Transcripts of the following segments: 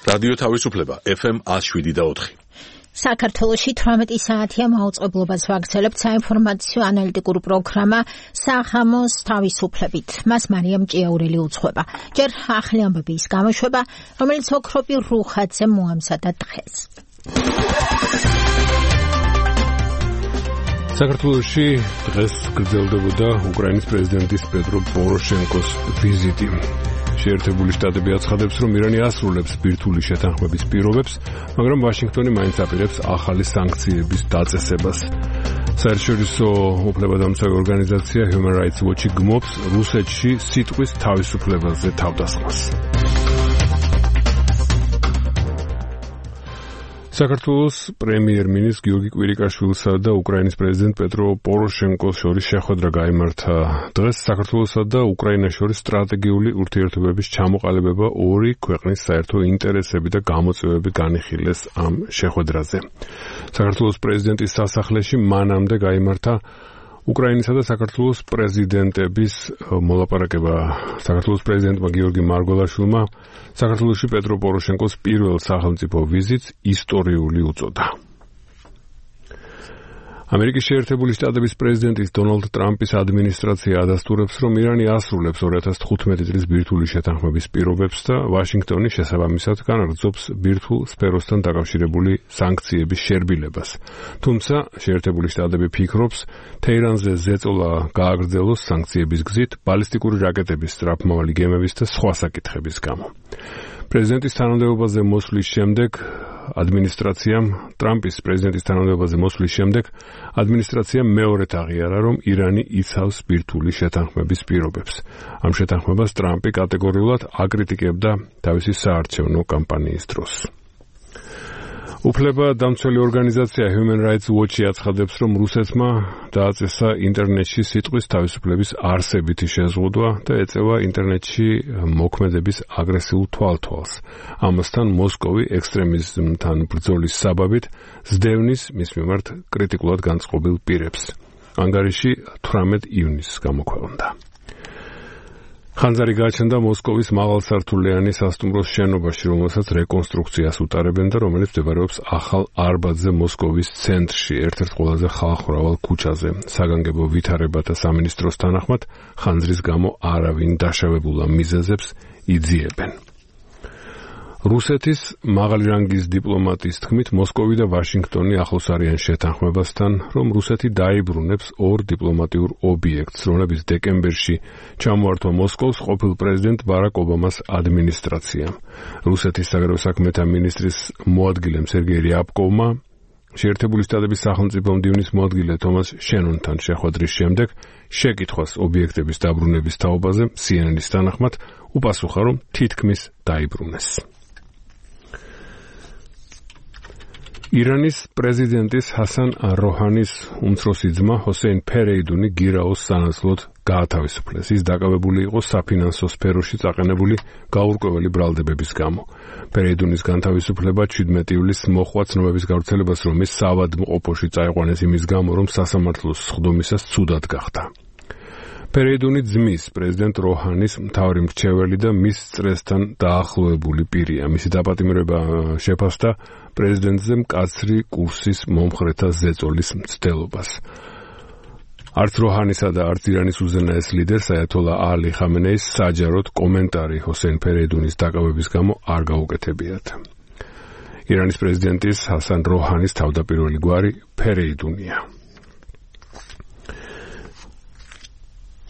რადიო თავისუფლება FM 107.4. საქართველოში 18 საათია მაუწყებლობას ვაგრძელებთ საინფორმაციო ანალიტიკური პროგრამა სახამოს თავისუფლებით. მას მარიამ ჭიაურელი უძღვება. ჯერ ახალი ამბების გამოშვება, რომელიც ოქროპი რუხაძე მოამზადა დღეს. საქართველოში დღეს გრძელდებოდა უკრაინის პრეზიდენტის პეტრო პოროშენკოს ვიზიტი. შეერთებული შტატები აცხადებს, რომ ირანი ასრულებს ბირთვული შეთანხმების პირობებს, მაგრამ ვაშინგტონი მაინც აპირებს ახალი სანქციების დაწესებას. საერთაშორისო უფლებადამცავი ორგანიზაცია Human Rights Watch გმობს რუსეთში სიტყვის თავისუფლებაზე თავდასხმას. საქართველოს პრემიერ-მინისტრ გიორგი კვირიკაშვილსა და უკრაინის პრეზიდენტ პეტრო პოროშენკოს შორის შეხვედრა გაიმართა. დღეს საქართველოსა და უკრაინას შორის სტრატეგიული ურთიერთობების ჩამოყალიბება ორი ქვეყნის საერთო ინტერესები და გამოწვევები განიხილეს ამ შეხვედრაზე. საქართველოს პრეზიდენტის სასახლეში მანამდე გაიმართა უკრაინისა და საქართველოს პრეზიდენტების მოლაპარაკება. საქართველოს პრეზიდენტმა გიორგი მარგველაშვილმა საქართველოში პეტრო პოროშენკოს პირველ სახელმწიფო ვიზიტს ისტორიული უწოდა. ამერიკის შეერთებული შტატების პრეზიდენტის დონალდ ტრამპის ადმინისტრაცია ადასტურებს, რომ ირანი ასრულებს 2015 წლის ბირთვული შეთანხმების პირობებს და ვაშინგტონი შესაბამისად განაგრძობს ბირთვულ სფეროსთან დაკავშირებული სანქციების შერბილებას. თუმცა შეერთებული შტატები ფიქრობს, თეირანზე ზეწოლა გააგრძელოს სანქციების გზით, ბალისტიკური რაკეტების, სწრაფმავალი გემების და სხვა საკითხების გამო. პრეზიდენტის თანამდებობაზე მოსვლის შემდეგ ტრამპის პრეზიდენტის თანამდებობაზე მოსვლის შემდეგ ადმინისტრაციამ მეორედ აღიარა, რომ ირანი იცავს ბირთვული შეთანხმების პირობებს. ამ შეთანხმებას ტრამპი კატეგორიულად აკრიტიკებდა თავისი საარჩევნო კამპანიის დროს. უფლებადამცველი ორგანიზაცია Human Rights Watch აცხადებს, რომ რუსეთმა დააწესა ინტერნეტში სიტყვის თავისუფლების არსებითი შეზღუდვა და ეწევა ინტერნეტში მოქმედების აგრესიულ თვალთვალს. ამასთან მოსკოვი ექსტრემიზმთან ბრძოლის საბაბით სდევნის მის მიმართ კრიტიკულად განწყობილ პირებს. ანგარიში 18 ივნისს გამოქვეყნდა. ხანძარი გააჩნდა მოსკოვის მაღალსართულიანი სასტუმროს შენობაში, რომელსაც რეკონსტრუქციას უტარებენ და რომელიც მდებარეობს ახალ არბატზე მოსკოვის ცენტრში, ერთ-ერთ ყველაზე ხალხმრავალ ქუჩაზე. საგანგებო ვითარებათა სამინისტროს თანახმად, ხანძრის გამო არავინ დაშავებულა მიზეზებს იძიებენ. რუსეთის მაღალი რანგის დიპლომატის თქმით, მოსკოვი და ვაშინგტონი ახლოს არიან შეთანხმებასთან, რომ რუსეთი დაიბრუნებს ორ დიპლომატიურ ობიექტს, რომლებიც დეკემბერში ჩამოართვა მოსკოვს ყოფილ პრეზიდენტ ბარაკ ობამას ადმინისტრაციამ. რუსეთის საგარეო საქმეთა მინისტრის მოადგილემ სერგეი რიაბკოვმა შეერთებული შტატების სახელმწიფო მდივნის მოადგილე თომას შენონთან შეხვედრის შემდეგ შეკითხვას ობიექტების დაბრუნების თაობაზე CNN-ის თანახმად უპასუხა, რომ თითქმის დაიბრუნეს. ირანის პრეზიდენტის ჰასან როჰანის უმცროსი ძმა ჰოსეინ ფერეიდუნი გირაოს სანაცვლოდ გაათავისუფლეს. ის დაკავებული იყო საფინანსო სფეროში წაყენებული გაურკვეველი ბრალდებების გამო. ფერეიდუნის განთავისუფლება 17 ივლისს მოჰყვა ცნობების გავრცელებას, რომ ის საავადმყოფოში წაიყვანეს იმის გამო, რომ სასამართლოს სხდომისას ცუდად გახდა. ფერეიდუნი ძმის პრეზიდენტ როჰანის მთავარი მრჩეველი და მის წრესთან დაახლოებული პირია. მისი დაპატიმრება შეფასდა პრეზიდენტზე მკაცრი კურსის მომხრეთა ზეწოლის მცდელობას. არც როჰანისა და არც ირანის უზენაეს ლიდერს აიათოლა ალი ხამენეის საჯაროდ კომენტარი ჰოსეინ ფერეიდუნის დაკავების გამო არ გაუკეთებიათ. ირანის პრეზიდენტის ჰასან როჰანის თავდაპირველი გვარი ფერეიდუნია.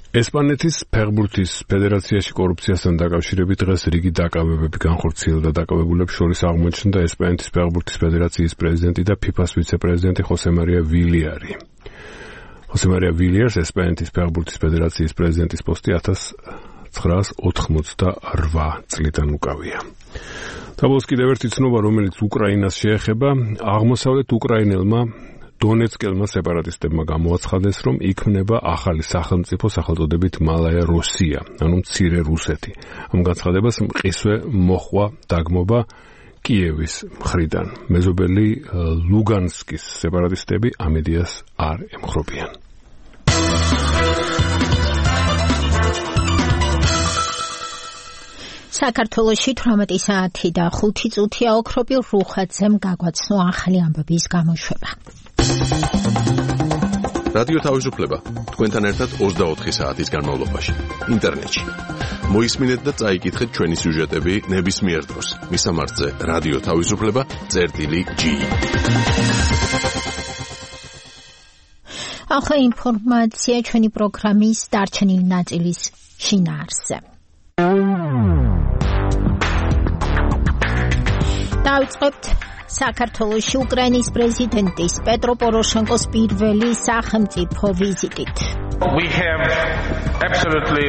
ესპანეთის ფეხბურთის ფედერაციაში კორუფციასთან დაკავშირებით დღეს რიგი დაკავებები განხორციელდა. დაკავებულებს შორის აღმოჩნდა ესპანეთის ფეხბურთის ფედერაციის პრეზიდენტი და FIFA-ს ვიცე-პრეზიდენტი ხოსე მარია ვილიარი. ხოსე მარია ვილიარს ესპანეთის ფეხბურთის ფედერაციის პრეზიდენტის პოსტი 1988 წლიდან უკავია. თაბოს კიდევ ერთი ცნობა, რომელიც უკრაინას შეეხება, აღმოსავლეთ უკრაინელმა დონეცკელმა სეპარატისტებმა გამოაცხადეს, რომ იქმნება ახალი სახელმწიფო სახელწოდებით მალაია რუსია, ანუ მცირე რუსეთი. ამ განცხადებას მყისვე მოჰყვა დაგმობა კიევის მხრიდან. მეზობელი ლუგანსკის სეპარატისტები ამ იდეას არ ემხრობიან. საქართველოში 18 საათი და 5 წუთია ოქროპილ რუხაძემ გაგვაცნო ახალი ამბების გამოშვება. რადიო თავისუფლება თქვენთან ერთად 24 საათის განმავლობაში ინტერნეტში. მოისმინეთ და წაიკითხეთ ჩვენი სიუჟეტები ნებისმიერ დროს. მისამართზე რადიო თავისუფლება.gi. ახლა ინფორმაცია ჩვენი პროგრამის დარჩენილი ნაწილის შინაარსზე. დავიწყებთ საქართველოში უკრაინის პრეზიდენტის პეტრო პოროშენკოს პირველი სახელმწიფო ვიზიტით. We have absolutely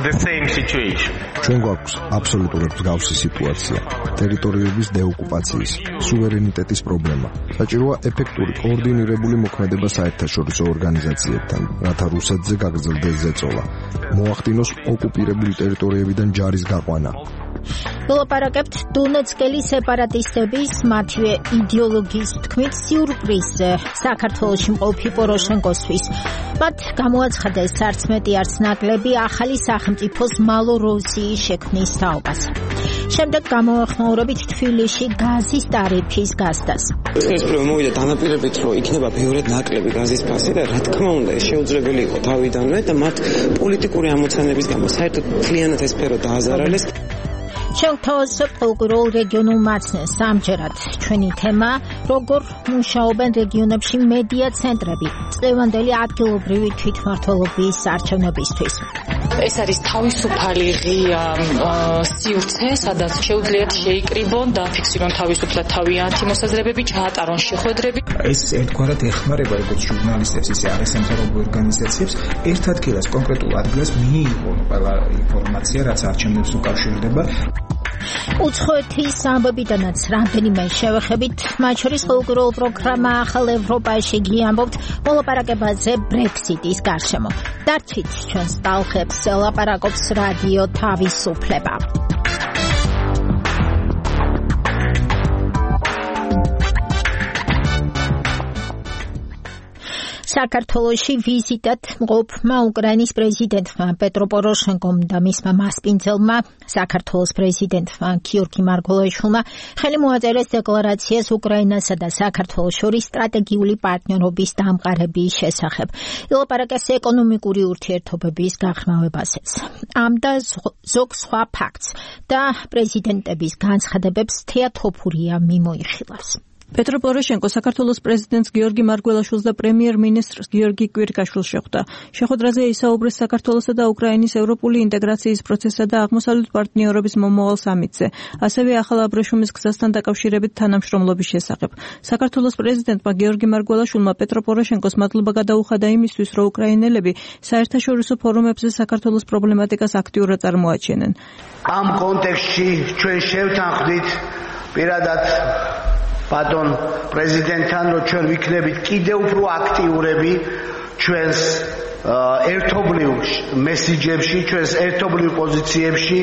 the same situation. ჩვენ გვაქვს აბსოლუტურად მსგავსი სიტუაცია. ტერიტორიების დეოკუპაციის, სუვერენიტეტის პრობლემა. საჭიროა ეფექტური კოორდინირებული მოქმედება საერთაშორისო ორგანიზაციებთან, რათა რუსეთზე გაგრძელდეს ზეწოლა. მოახდინოს ოკუპირებული ტერიტორიებიდან ჯარის გაყვანა. ვილაპარაკებთ დონეცკელი სეპარატისტების მათივე იდეოლოგიის თქმით სიურპრიზზე საქართველოში მყოფი პოროშენკოსთვის. მათ გამოაცხადეს 11 არც ნაკლები ახალი სახელმწიფოს მალოროსიის შექმნის თაობას. შემდეგ გამოახმაურებით თბილისში გაზის ტარიფის გასდას. ეს პრობლემა მოვიდა დანაპირებით, რომ იქნება ბევრად ნაკლები გაზის ფასი და რა თქმა უნდა ეს შეუძლებელი იყო თავიდანვე და მათ პოლიტიკური ამოცანების გამო საერთოდ მთლიანად ეს სფერო დააზარალეს. შევთავაზებთ ყოველკვირეულ რეგიონულ მაცნეს. ამჯერად ჩვენი თემა როგორ მუშაობენ რეგიონებში მედია ცენტრები წლევანდელი ადგილობრივი თვითმმართველობის არჩევნებისთვის. ეს არის თავისუფალი ღია სივრცე, სადაც შეუძლიათ შეიკრიბონ და ფიქსირონ თავისუფლად თავიანთი მოსაზრებები, ჩაატარონ შეხვედრები. ეს ერთგვარად ეხმარება როგორც ჟურნალისტებს, ისე არასამთავრობო ორგანიზაციებს ერთ ადგილას, კონკრეტულ ადგილას მიიღონ ყველა ინფორმაცია, რაც არჩევნებს უკავშირდება. უცხოეთის ამბებიდანაც რამდენიმე შევეხებით, მათ შორის ყოველკვირეულ პროგრამა ახალ ევროპაში გიამბობთ მოლაპარაკებაზე ბრექსიტის გარშემო. დარჩით ჩვენს ტალღებს, ლაპარაკობს რადიო თავისუფლება. საქართველოში ვიზიტად მყოფმა უკრაინის პრეზიდენტმა პეტრო პოროშენკომ და მისმა მასპინძელმა საქართველოს პრეზიდენტმა გიორგი მარგველაშვილმა ხელი მოაწერეს დეკლარაციას უკრაინასა და საქართველოს შორის სტრატეგიული პარტნიორობის დამყარების შესახებ. ილაპარაკეს ეკონომიკური ურთიერთობების გაღრმავებაზეც. ამ და ზოგ სხვა ფაქტს და პრეზიდენტების განცხადებებს თეა თოფურია მიმოიხილავს. პეტრო პოროშენკო საქართველოს პრეზიდენტს გიორგი მარგველაშვილს და პრემიერ-მინისტრს გიორგი კვირკაშვილს შეხვდა. შეხვედრაზე ისაუბრეს საქართველოსა და უკრაინის ევროპული ინტეგრაციის პროცესსა და აღმოსავლეთ პარტნიორობის მომავალ სამიტზე, ასევე ახალ აბრეშუმის გზასთან დაკავშირებით თანამშრომლობის შესახებ. საქართველოს პრეზიდენტმა გიორგი მარგველაშვილმა პეტრო პოროშენკოს მადლობა გადაუხადა იმისთვის, რომ უკრაინელები საერთაშორისო ფორუმებზე საქართველოს პრობლემატიკას აქტიურად წარმოაჩენენ. ამ კონტექსტში ჩვენ შევთანხმდით პირადად ბატონ პრეზიდენტთან, რომ ჩვენ ვიქნებით კიდევ უფრო აქტიურები ჩვენს ერთობლივ მესიჯებში, ჩვენს ერთობლივ პოზიციებში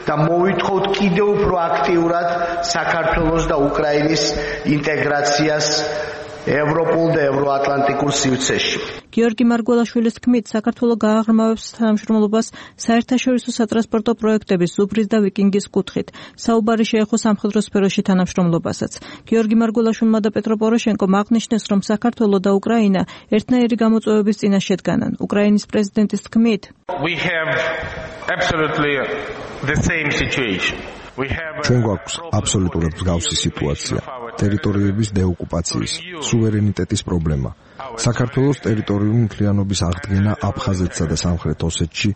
და მოვითხოვთ კიდევ უფრო აქტიურად საქართველოს და უკრაინის ინტეგრაციას ევროპულ და ევროატლანტიკურ სივრცეში. გიორგი მარგველაშვილის თქმით, საქართველო გააღრმავებს თანამშრომლობას საერთაშორისო სატრანსპორტო პროექტების ზუბრის და ვიკინგის კუთხით. საუბარი შეეხო სამხედრო სფეროში თანამშრომლობასაც. გიორგი მარგველაშვილმა და პეტრო პოროშენკომ აღნიშნეს, რომ საქართველო და უკრაინა ერთნაირი გამოწვევების წინაშე დგანან. უკრაინის პრეზიდენტის თქმით, We have absolutely the same situation. ჩვენ გვაქვს აბსოლუტურად მსგავსი სიტუაცია. ტერიტორიების დეოკუპაციის, სუვერენიტეტის პრობლემა. საქართველოს ტერიტორიული მთლიანობის აღდგენა აფხაზეთსა და სამხრეთ ოსეთში,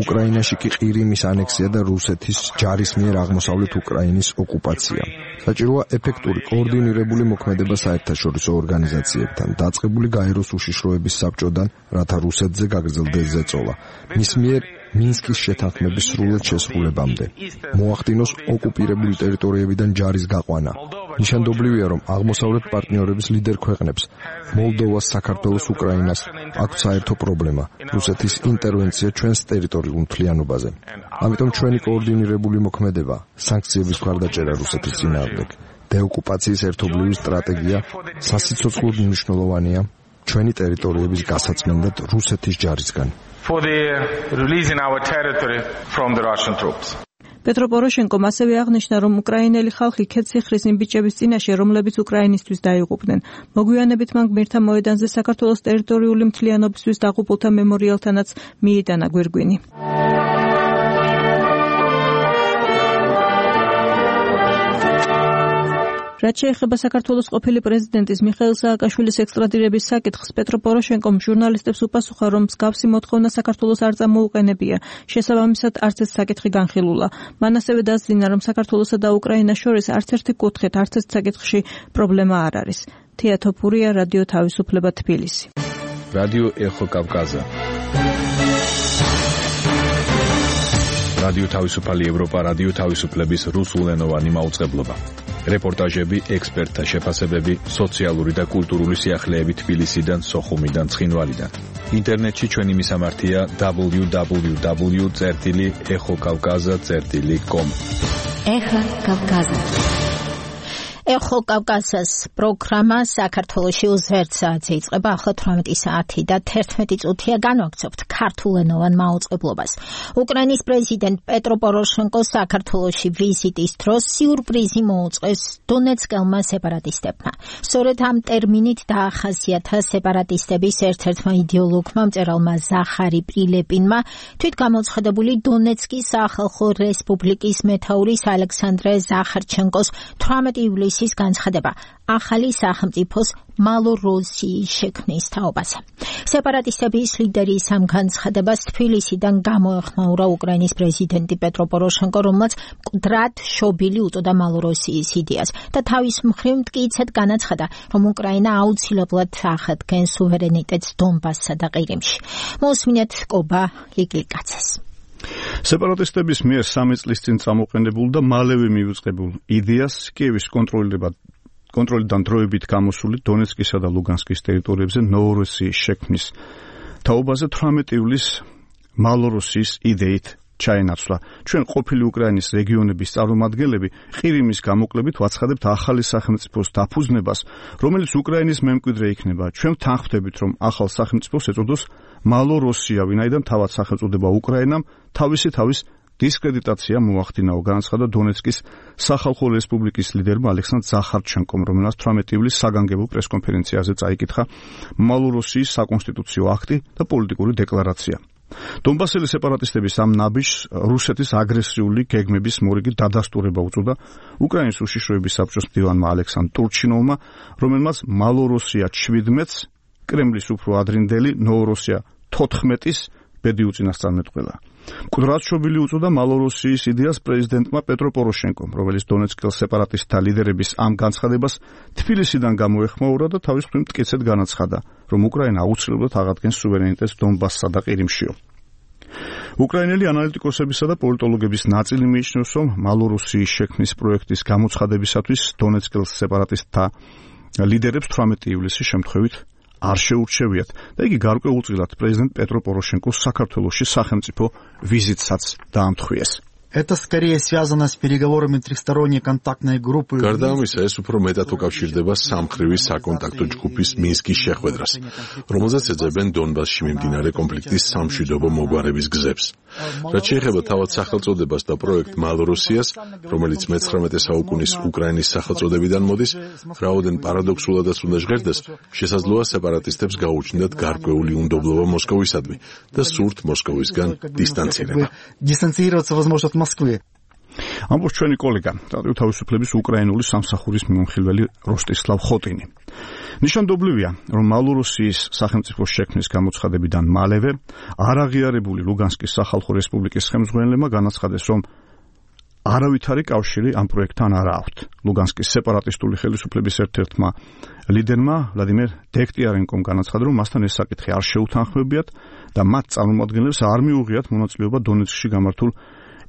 უკრაინაში კი ყირიმის ანექსია და რუსეთის ჯარის მიერ აღმოსავლეთ უკრაინის ოკუპაცია. საჭიროა ეფექტური კოორდინირებული მოქმედება საერთაშორისო ორგანიზაციებთან, დაწყებული გაეროს უშიშროების საბჭოდან, რათა რუსეთზე გაგრძელდეს ზეწოლა. მის მიერ მინსკის შეთანხმების სრულად შესრულებამდე. მოახდინოს ოკუპირებული ტერიტორიებიდან ჯარის გაყვანა. ნიშანდობლივია, რომ აღმოსავლეთ პარტნიორების ლიდერ ქვეყნებს მოლდოვას, საქართველოს, უკრაინას აქვს საერთო პრობლემა რუსეთის ინტერვენცია ჩვენს ტერიტორიულ მთლიანობაზე. ამიტომ ჩვენი კოორდინირებული მოქმედება, სანქციების მხარდაჭერა რუსეთის წინააღმდეგ, დეოკუპაციის ერთობლივი სტრატეგია სასიცოცხლოდ მნიშვნელოვანია ჩვენი ტერიტორიების გასაწმენდად რუსეთის ჯარისგან. For the releasing our territory from the Russian troops. პეტრო პოროშენკომ ასევე აღნიშნა, რომ უკრაინელი ხალხი ქედციხრის იმ ბიჭების წინაშე, რომლებიც უკრაინისთვის დაიღუპნენ. მოგვიანებით მან გმირთა მოედანზე საქართველოს ტერიტორიული მთლიანობისთვის დაღუპულთა მემორიალთანაც მიიტანა გვირგვინი. რაც შეეხება საქართველოს ყოფილი პრეზიდენტის მიხეილ სააკაშვილის ექსტრადირების საკითხს, პეტრო პოროშენკომ ჟურნალისტებს უპასუხა, რომ მსგავსი მოთხოვნა საქართველოს არ წამოუყენებია. შესაბამისად, არც ეს საკითხი განხილულა. მან ასევე დასძინა, რომ საქართველოსა და უკრაინას შორის არც ერთი კუთხით, არც ერთ საკითხში პრობლემა არ არის. თეა თოფურია, რადიო თავისუფლება, თბილისი. რადიო ეხო კავკაზა. რადიო თავისუფალი ევროპა, რადიო თავისუფლების რუსულენოვანი მაუწყებლობა. რეპორტაჟები, ექსპერტთა შეფასებები, სოციალური და კულტურული სიახლეები თბილისიდან, სოხუმიდან, ცხინვალიდან. ინტერნეტში ჩვენი მისამართია www.exokavkaza.com. ეხა კავკაზა. ეხო კავკაზას პროგრამა საქართველოში უზერთ საათზე იწყება. ახლა 18 საათი და 11 წუთია განვაგრძობთ ქართულენოვან მაუწყებლობას. უკრაინის პრეზიდენტ პეტრო პოროშენკო საქართველოში ვიზიტის დროს სიურპრიზი მოუწყეს დონეცკელმა სეპარატისტებმა. სწორედ ამ ტერმინით დაახასიათა სეპარატისტების ერთ-ერთმა იდეოლოგმა მწერალმა ზახარი პრილეპინმა თვითგამოცხადებული დონეცკის სახალხო რესპუბლიკის მეთაურის ალექსანდრე ზახარჩენკოს 18 ივლისის განცხადება ახალი სახელმწიფოს მალოროსიის შექმნის თაობაზე. სეპარატისტების ლიდერის ამ განცხადებას თბილისიდან გამოეხმაურა უკრაინის პრეზიდენტი პეტრო პოროშენკო, რომელმაც მკვდრად შობილი უწოდა მალოროსიის იდეას და თავის მხრივ მტკიცედ განაცხადა, რომ უკრაინა აუცილებლად აღადგენს სუვერენიტეტს დონბასსა და ყირიმში. მოსმინეთ კობა ლიგლიკაცეს. სეპარატისტების მიერ 3 წლის წინ წამოყენებულ და მალევე მივიწყებულ იდეას კიევის კონტროლიდან დროებით გამოსული დონეცკისა და ლუგანსკის ტერიტორიებზე ნოვოროსიის შექმნის თაობაზე 18 ივლისს მალოროსიის იდეით ჩაენაცვლა. ჩვენ ყოფილი უკრაინის რეგიონების წარმომადგენლები ყირიმის გამოკლებით ვაცხადებთ ახალი სახელმწიფოს დაფუძნებას, რომელიც უკრაინის მემკვიდრე იქნება. ჩვენ თანხმდებით, რომ ახალ სახელმწიფოს ეწოდოს მალოროსია, ვინაიდან თავად სახელწოდება უკრაინამ თავის დისკრედიტაცია მოახდინაო, განაცხადა დონეცკის სახალხო რესპუბლიკის ლიდერმა ალექსანდრ ზახარჩენკომ, რომელმაც 18 ივლისს საგანგებო პრესკონფერენციაზე წაიკითხა მალოროსიის საკონსტიტუციო აქტი და პოლიტიკური დეკლარაცია. დონბასელი სეპარატისტების ამ ნაბიჯს რუსეთის აგრესიული გეგმების მორიგი დადასტურება უწოდა უკრაინის უშიშროების საბჭოს მდივანმა ალექსანდრ ტურჩინოვმა, რომელმაც მალოროსია 17-ს, კრემლის უფრო ადრინდელი ნოვოროსია 14-ის ბედი უწინასწარმეტყველა. მკვდრად შობილი უწოდა მალოროსიის იდეას პრეზიდენტმა პეტრო პოროშენკომ, რომელიც დონეცკელ სეპარატისტთა ლიდერების ამ განცხადებას თბილისიდან გამოეხმაურა და თავის მხრივ მტკიცედ განაცხადა, რომ უკრაინა აუცილებლად აღადგენს სუვერენიტეტს დონბასსა და ყირიმშიო. უკრაინელი ანალიტიკოსებისა და პოლიტოლოგების ნაწილი მიიჩნევს, რომ მალოროსიის შექმნის პროექტის გამოცხადებისათვის დონეცკელ სეპარატისტთა ლიდერებს 18 ივლისის შემთხვევით არ შეურჩევიათ და იგი გარკვეულწილად პრეზიდენტ პეტრო პოროშენკოს საქართველოში სახელმწიფო ვიზიტსაც დაამთხვიეს. Это скорее связано с переговорами трехсторонней контактной группы. გარდა ამისა, ეს უფრო მეტად უკავშირდება სამხრივი საკონტაქტო ჯგუფის მინსკის შეხვედრას, რომელზეც ეძებენ დონბასში მიმდინარე კონფლიქტის სამშვიდობო მოგვარების გზებს. რაც შეეხება თავად სახელწოდებას და პროექტ მალოროსიას, რომელიც მე-19 საუკუნის უკრაინის სახელწოდებიდან მოდის, რაოდენ პარადოქსულადაც უნდა ჟღერდეს, შესაძლოა სეპარატისტებს გაუჩნდათ გარკვეული უნდობლობა მოსკოვისადმი და სურთ მოსკოვისგან დისტანცირება. Дистанцироваться возможно от Москвы. ამბობს ჩვენი კოლეგა, რადიო თავისუფლების უკრაინული სამსახურის მიმოხილველი როსტისლავ ხოტინი. ნიშანდობლივია, რომ მალოროსიის სახელმწიფოს შექმნის გამოცხადებიდან მალევე არაღიარებული ლუგანსკის სახალხო რესპუბლიკის ხელმძღვანელებმა განაცხადეს, რომ არავითარი კავშირი ამ პროექტთან არ აქვთ. ლუგანსკის სეპარატისტული ხელისუფლების ერთ-ერთმა ლიდერმა ვლადიმერ დექტიარენკომ განაცხადა, რომ მასთან ეს საკითხი არ შეუთანხმებიათ და მათ წარმომადგენლებს არ მიუღიათ მონაწილეობა დონეცკში გამართულ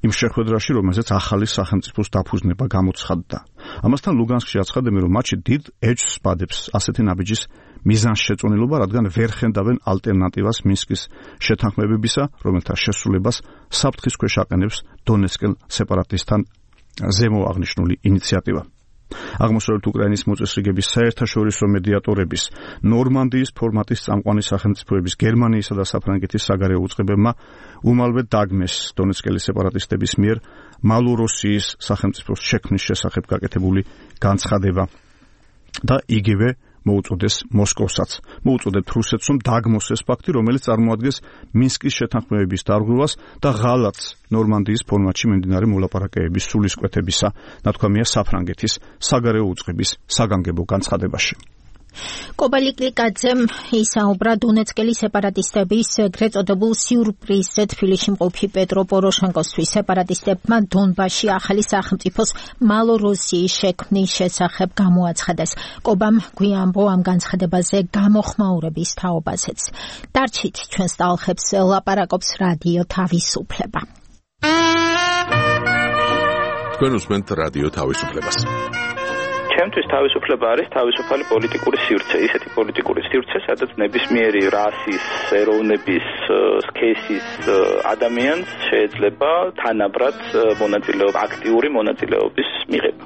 იმ შეხვედრაში, რომელზეც ახალი სახელმწიფოს დაფუძნება გამოცხადდა. ამასთან ლუგანსკში აცხადებენ, რომ მათში დიდ ეჭვს ბადებს ასეთი ნაბიჯის მიზანშეწონილობა, რადგან ვერ ხენდავენ ალტერნატივას მინსკის შეთანხმებებისა, რომელთა შესრულებას საფრთხის ქვეშ აყენებს დონეცკელ სეპარატისტთან ზემო აღნიშნული ინიციატივა. აღმოსავლეთ უკრაინის მოწესრიგების საერთაშორისო მედიატორების ნორმანდიის ფორმატის წამყვანი სახელმწიფოების გერმანიისა და საფრანგეთის საგარეო უწყებებმა უმალვე დაგმეს დონეცკელი სეპარატისტების მიერ მალოროსიის სახელმწიფოს შექმნის შესახებ გაკეთებული განცხადება და იგივე მოუწოდეს მოსკოვსაც. მოუწოდებთ რუსეთს, რომ დაგმოს ეს ფაქტი, რომელიც წარმოადგენს მინსკის შეთანხმებების დარღვევას და ღალატს ნორმანდიის ფორმატში მიმდინარე მოლაპარაკებების სულისკვეთებისა, ნათქვამია საფრანგეთის საგარეო უწყების საგანგებო განცხადებაში. კობალიკლიკაძემ ისაუბრა დონეცკელი სეპარატისტების ეგრეთ წოდებულ სიურპრიზზე თბილისში მყოფი პეტრო პოროშენკოსთვის. სეპარატისტებმა დონბასში ახალი სახელმწიფოს მალოროსიის შექმნის შესახებ გამოაცხადეს. კობამ გვიანბო ამ განცხადებაზე გამოხმაურების თაობაზეც. დარჩით ჩვენს ტალღებს ლაპარაკობს რადიო თავისუფლება. თქვენ უსმენთ რადიო თავისუფლებას. ჩემთვის თავისუფლება არის თავისუფალი პოლიტიკური სივრცე, ისეთი პოლიტიკური სივრცე, სადაც ნებისმიერი რასის, ეროვნების, სქესის ადამიანს შეიძლება თანაბრად აქტიური მონაწილეობის მიღება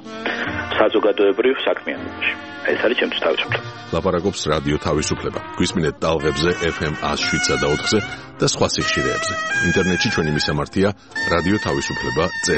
საზოგადოებრივ საქმიანობაში. ეს არის ჩემთვის თავისუფლება. ლაპარაკობს რადიო თავისუფლება. გვისმინეთ ტალღებზე FM 107.4-ზე და სხვა სიხშირეებზე. ინტერნეტში ჩვენი მისამართია რადიო თავისუფლება.ge.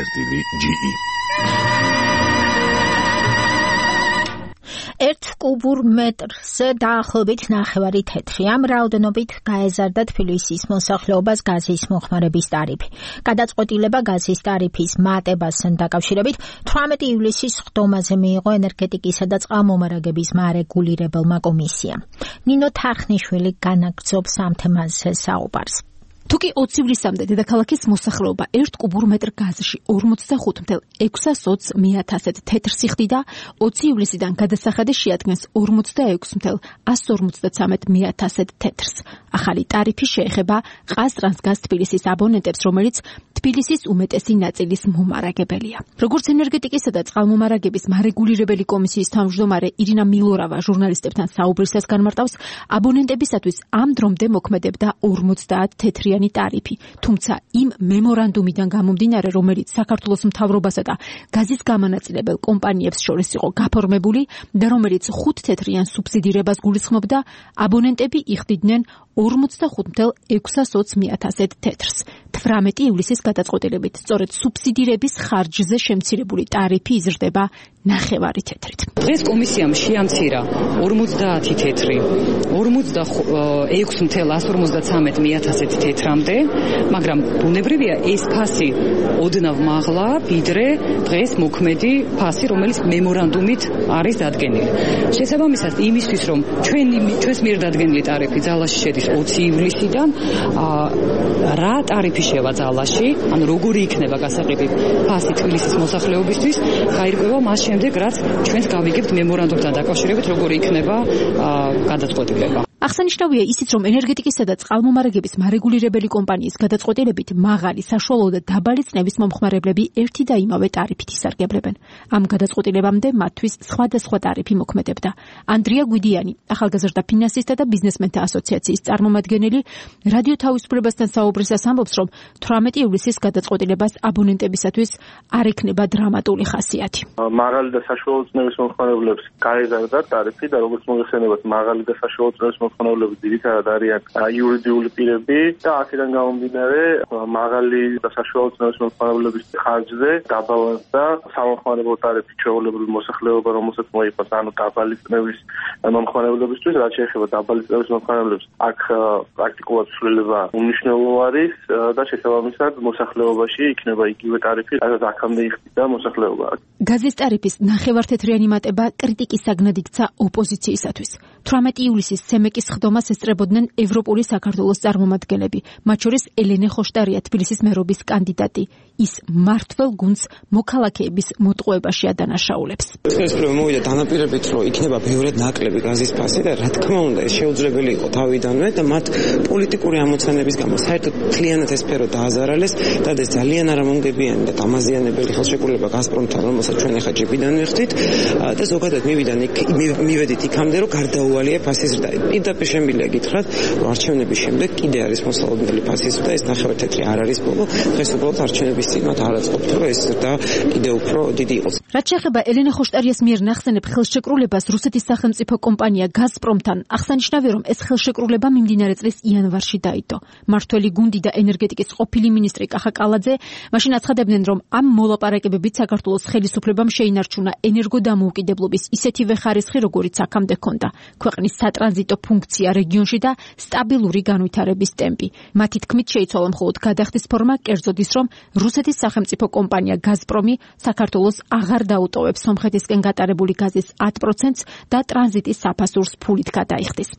ერთ კუბურ მეტრზე დაახლოებით 9 თეთრი. ამ რაოდენობით გაეზარდა თბილისის მოსახლეობას გაზის მოხმარების ტარიფი. გადაწყვეტილება გაზის ტარიფის მატებასთან დაკავშირებით 18 ივლისის ხდომაზე მიიღო ენერგეტიკისა და წყალმომარაგების მარეგულირებელმა კომისიამ. ნინო თახნიშვილი განაგრძობს ამ თემაზე საუბარს. თუკი 20 ივლისამდე დედაქალაქის მოსახლეობა 1 კუბურ მეტრ გაზში 45.620 თეთრს იხდიდა, 20 ივლისიდან გადასახადი შეადგენს 46.153 თეთრს. ახალი ტარიფი შეეხება ყაზტრანსგაზ თბილისის აბონენტებს, რომელიც თბილისის უმეტესი ნაწილის მომარაგებელია. როგორც ენერგეტიკისა და წყალმომარაგების მარეგულირებელი კომისიის თავმჯდომარე ირინა მილორავა ჟურნალისტებთან საუბრისას განმარტავს, აბონენტებისათვის ამ დრომდე მოქმედებდა 50 თეთრიანი ტარიფი, თუმცა იმ მემორანდუმიდან გამომდინარე, რომელიც საქართველოს მთავრობასა და გაზის გამანაწილებელ კომპანიებს შორის იყო გაფორმებული და რომელიც 5 თეთრიან სუბსიდირებას გულისხმობდა, აბონენტები იხდიდნენ 45.620 თეთრს. 18 ივლისის გადაწყვეტილებით სწორედ სუბსიდირების ხარჯზე შემცირებული ტარიფი იზრდება 9 თეთრით. დღეს კომისიამ შეამცირა 50 თეთრი 46.153 თეთრამდე, მაგრამ ბუნებრივია ეს ფასი ოდნავ მაღლა ვიდრე დღეს მოქმედი ფასი, რომელიც მემორანდუმით არის დადგენილი. შესაბამისად, იმისთვის რომ ჩვენს მიერ დადგენილი ტარიფი ძალაში შედის 20 ივლისიდან, რა ტარიფი შევა ძალაში, ან როგორი იქნება გასაყიდვი ფასი თბილისის მოსახლეობისთვის, გაირკვევა მას შემდეგ, რაც ჩვენს გავიგებთ მემორანდუმთან დაკავშირებით, როგორი იქნება გადაწყვეტილება. აღსანიშნავია ისიც, რომ ენერგეტიკისა და წყალმომარაგების მარეგულირებელი კომპანიის გადაწყვეტილებით მაღალი, საშუალო და დაბალი წნევის მომხმარებლები ერთი და იმავე ტარიფით ისარგებლებენ. ამ გადაწყვეტილებამდე მათთვის სხვადასხვა ტარიფი მოქმედებდა. ანდრია გვიდიანი, ახალგაზრდა ფინანსისტთა და ბიზნესმენთა ასოციაციის წარმომადგენელი, რადიო თავისუფლებასთან საუბრისას ამბობს, რომ 18 ივლისის გადაწყვეტილებას აბონენტებისათვის არ ექნება დრამატული ხასიათი. მაღალი და საშუალო წნევის მომხმარებლებს გაეზარდა ტარიფი და როგორც მოგეხსენებათ, მაღალი და საშუალო წნევის მომხმარებლები ძირითადად არიან იურიდიული პირები და აქედან გამომდინარე მაღალი და საშუალო წნევის მომხმარებლების ხარჯზე დაბალანსდა სამომხმარებლო ტარიფი ჩვეულებრივი მოსახლეობა, რომელსაც მოიყავს, ანუ დაბალი წნევის მომხმარებლებისთვის, რაც შეეხება დაბალი წნევის მომხმარებლებს, აქ პრაქტიკულად ცვლილება უმნიშვნელო არის და შესაბამისად მოსახლეობაში იქნება იგივე ტარიფი, რაც აქამდე იხდიდა მოსახლეობა. გაზის ტარიფის 9 თეთრიანი მატება კრიტიკის საგნად იქცა ოპოზიციისათვის. 18 ივლისის ცემეკის ხდომას ესწრებოდნენ ევროპული საქართველოს წარმომადგენლები, მათ შორის ელენე ხოშტარია, თბილისის მერობის კანდიდატი. ის მმართველ გუნდს მოქალაქეების მოტყუებაში ადანაშაულებს. ეს მოვიდა დანაპირებით, რომ იქნება ბევრად ნაკლები გაზის ფასი და რა თქმა უნდა, ეს შეუძლებელი იყო თავიდანვე და მათ პოლიტიკური ამოცანების გამო საერთოდ მთლიანად ეს სფერო დააზარალეს და ეს ძალიან არამონგებიანი და დამაზიანებელი ხელშეკრულება გაზპრომთან, რომელსაც ჩვენ ახლა ჯიბიდან ვიხდით და ზოგადად მივედით იქამდე, რომ გარდაუვალია ფასის ზრდა. პირდაპირ შემიძლია გითხრათ, რომ არჩევნების შემდეგ კიდე არის მოსალოდნელი ფასის ზრდა, ეს 9 თეთრი არ არის ბოლო, დღეს უბრალოდ არჩევნების ისიც მათ არ აწყობთ, რომ ეს და კიდევ უფრო დიდი იყოს. რაც შეეხება ელენე ხოშტარიას მიერ ნახსენებ ხელშეკრულებას რუსეთის სახელმწიფო კომპანია გაზპრომთან, აღსანიშნავია, რომ ეს ხელშეკრულება მიმდინარე წლის იანვარში დაიდო. მმართველი გუნდი და ენერგეტიკის ყოფილი მინისტრი კახა კალაძე მაშინ აცხადებდნენ, რომ ამ მოლაპარაკებებით საქართველოს ხელისუფლებამ შეინარჩუნა ენერგოდამოუკიდებლობის ისეთივე ხარისხი, როგორიც აქამდე ჰქონდა, ქვეყნის სატრანზიტო ფუნქცია რეგიონში და სტაბილური განვითარების ტემპი. მათი თქმით შეიცვალა მხოლოდ გადახდის ფორმა, კერძოდ ის, რომ რუსეთის სახელმწიფო კომპანია გაზპრომი საქართველოს აღარ დაუტოვებს სომხეთისკენ გატარებული გაზის 10%-ს და ტრანზიტის საფასურს ფულით გადაიხდის.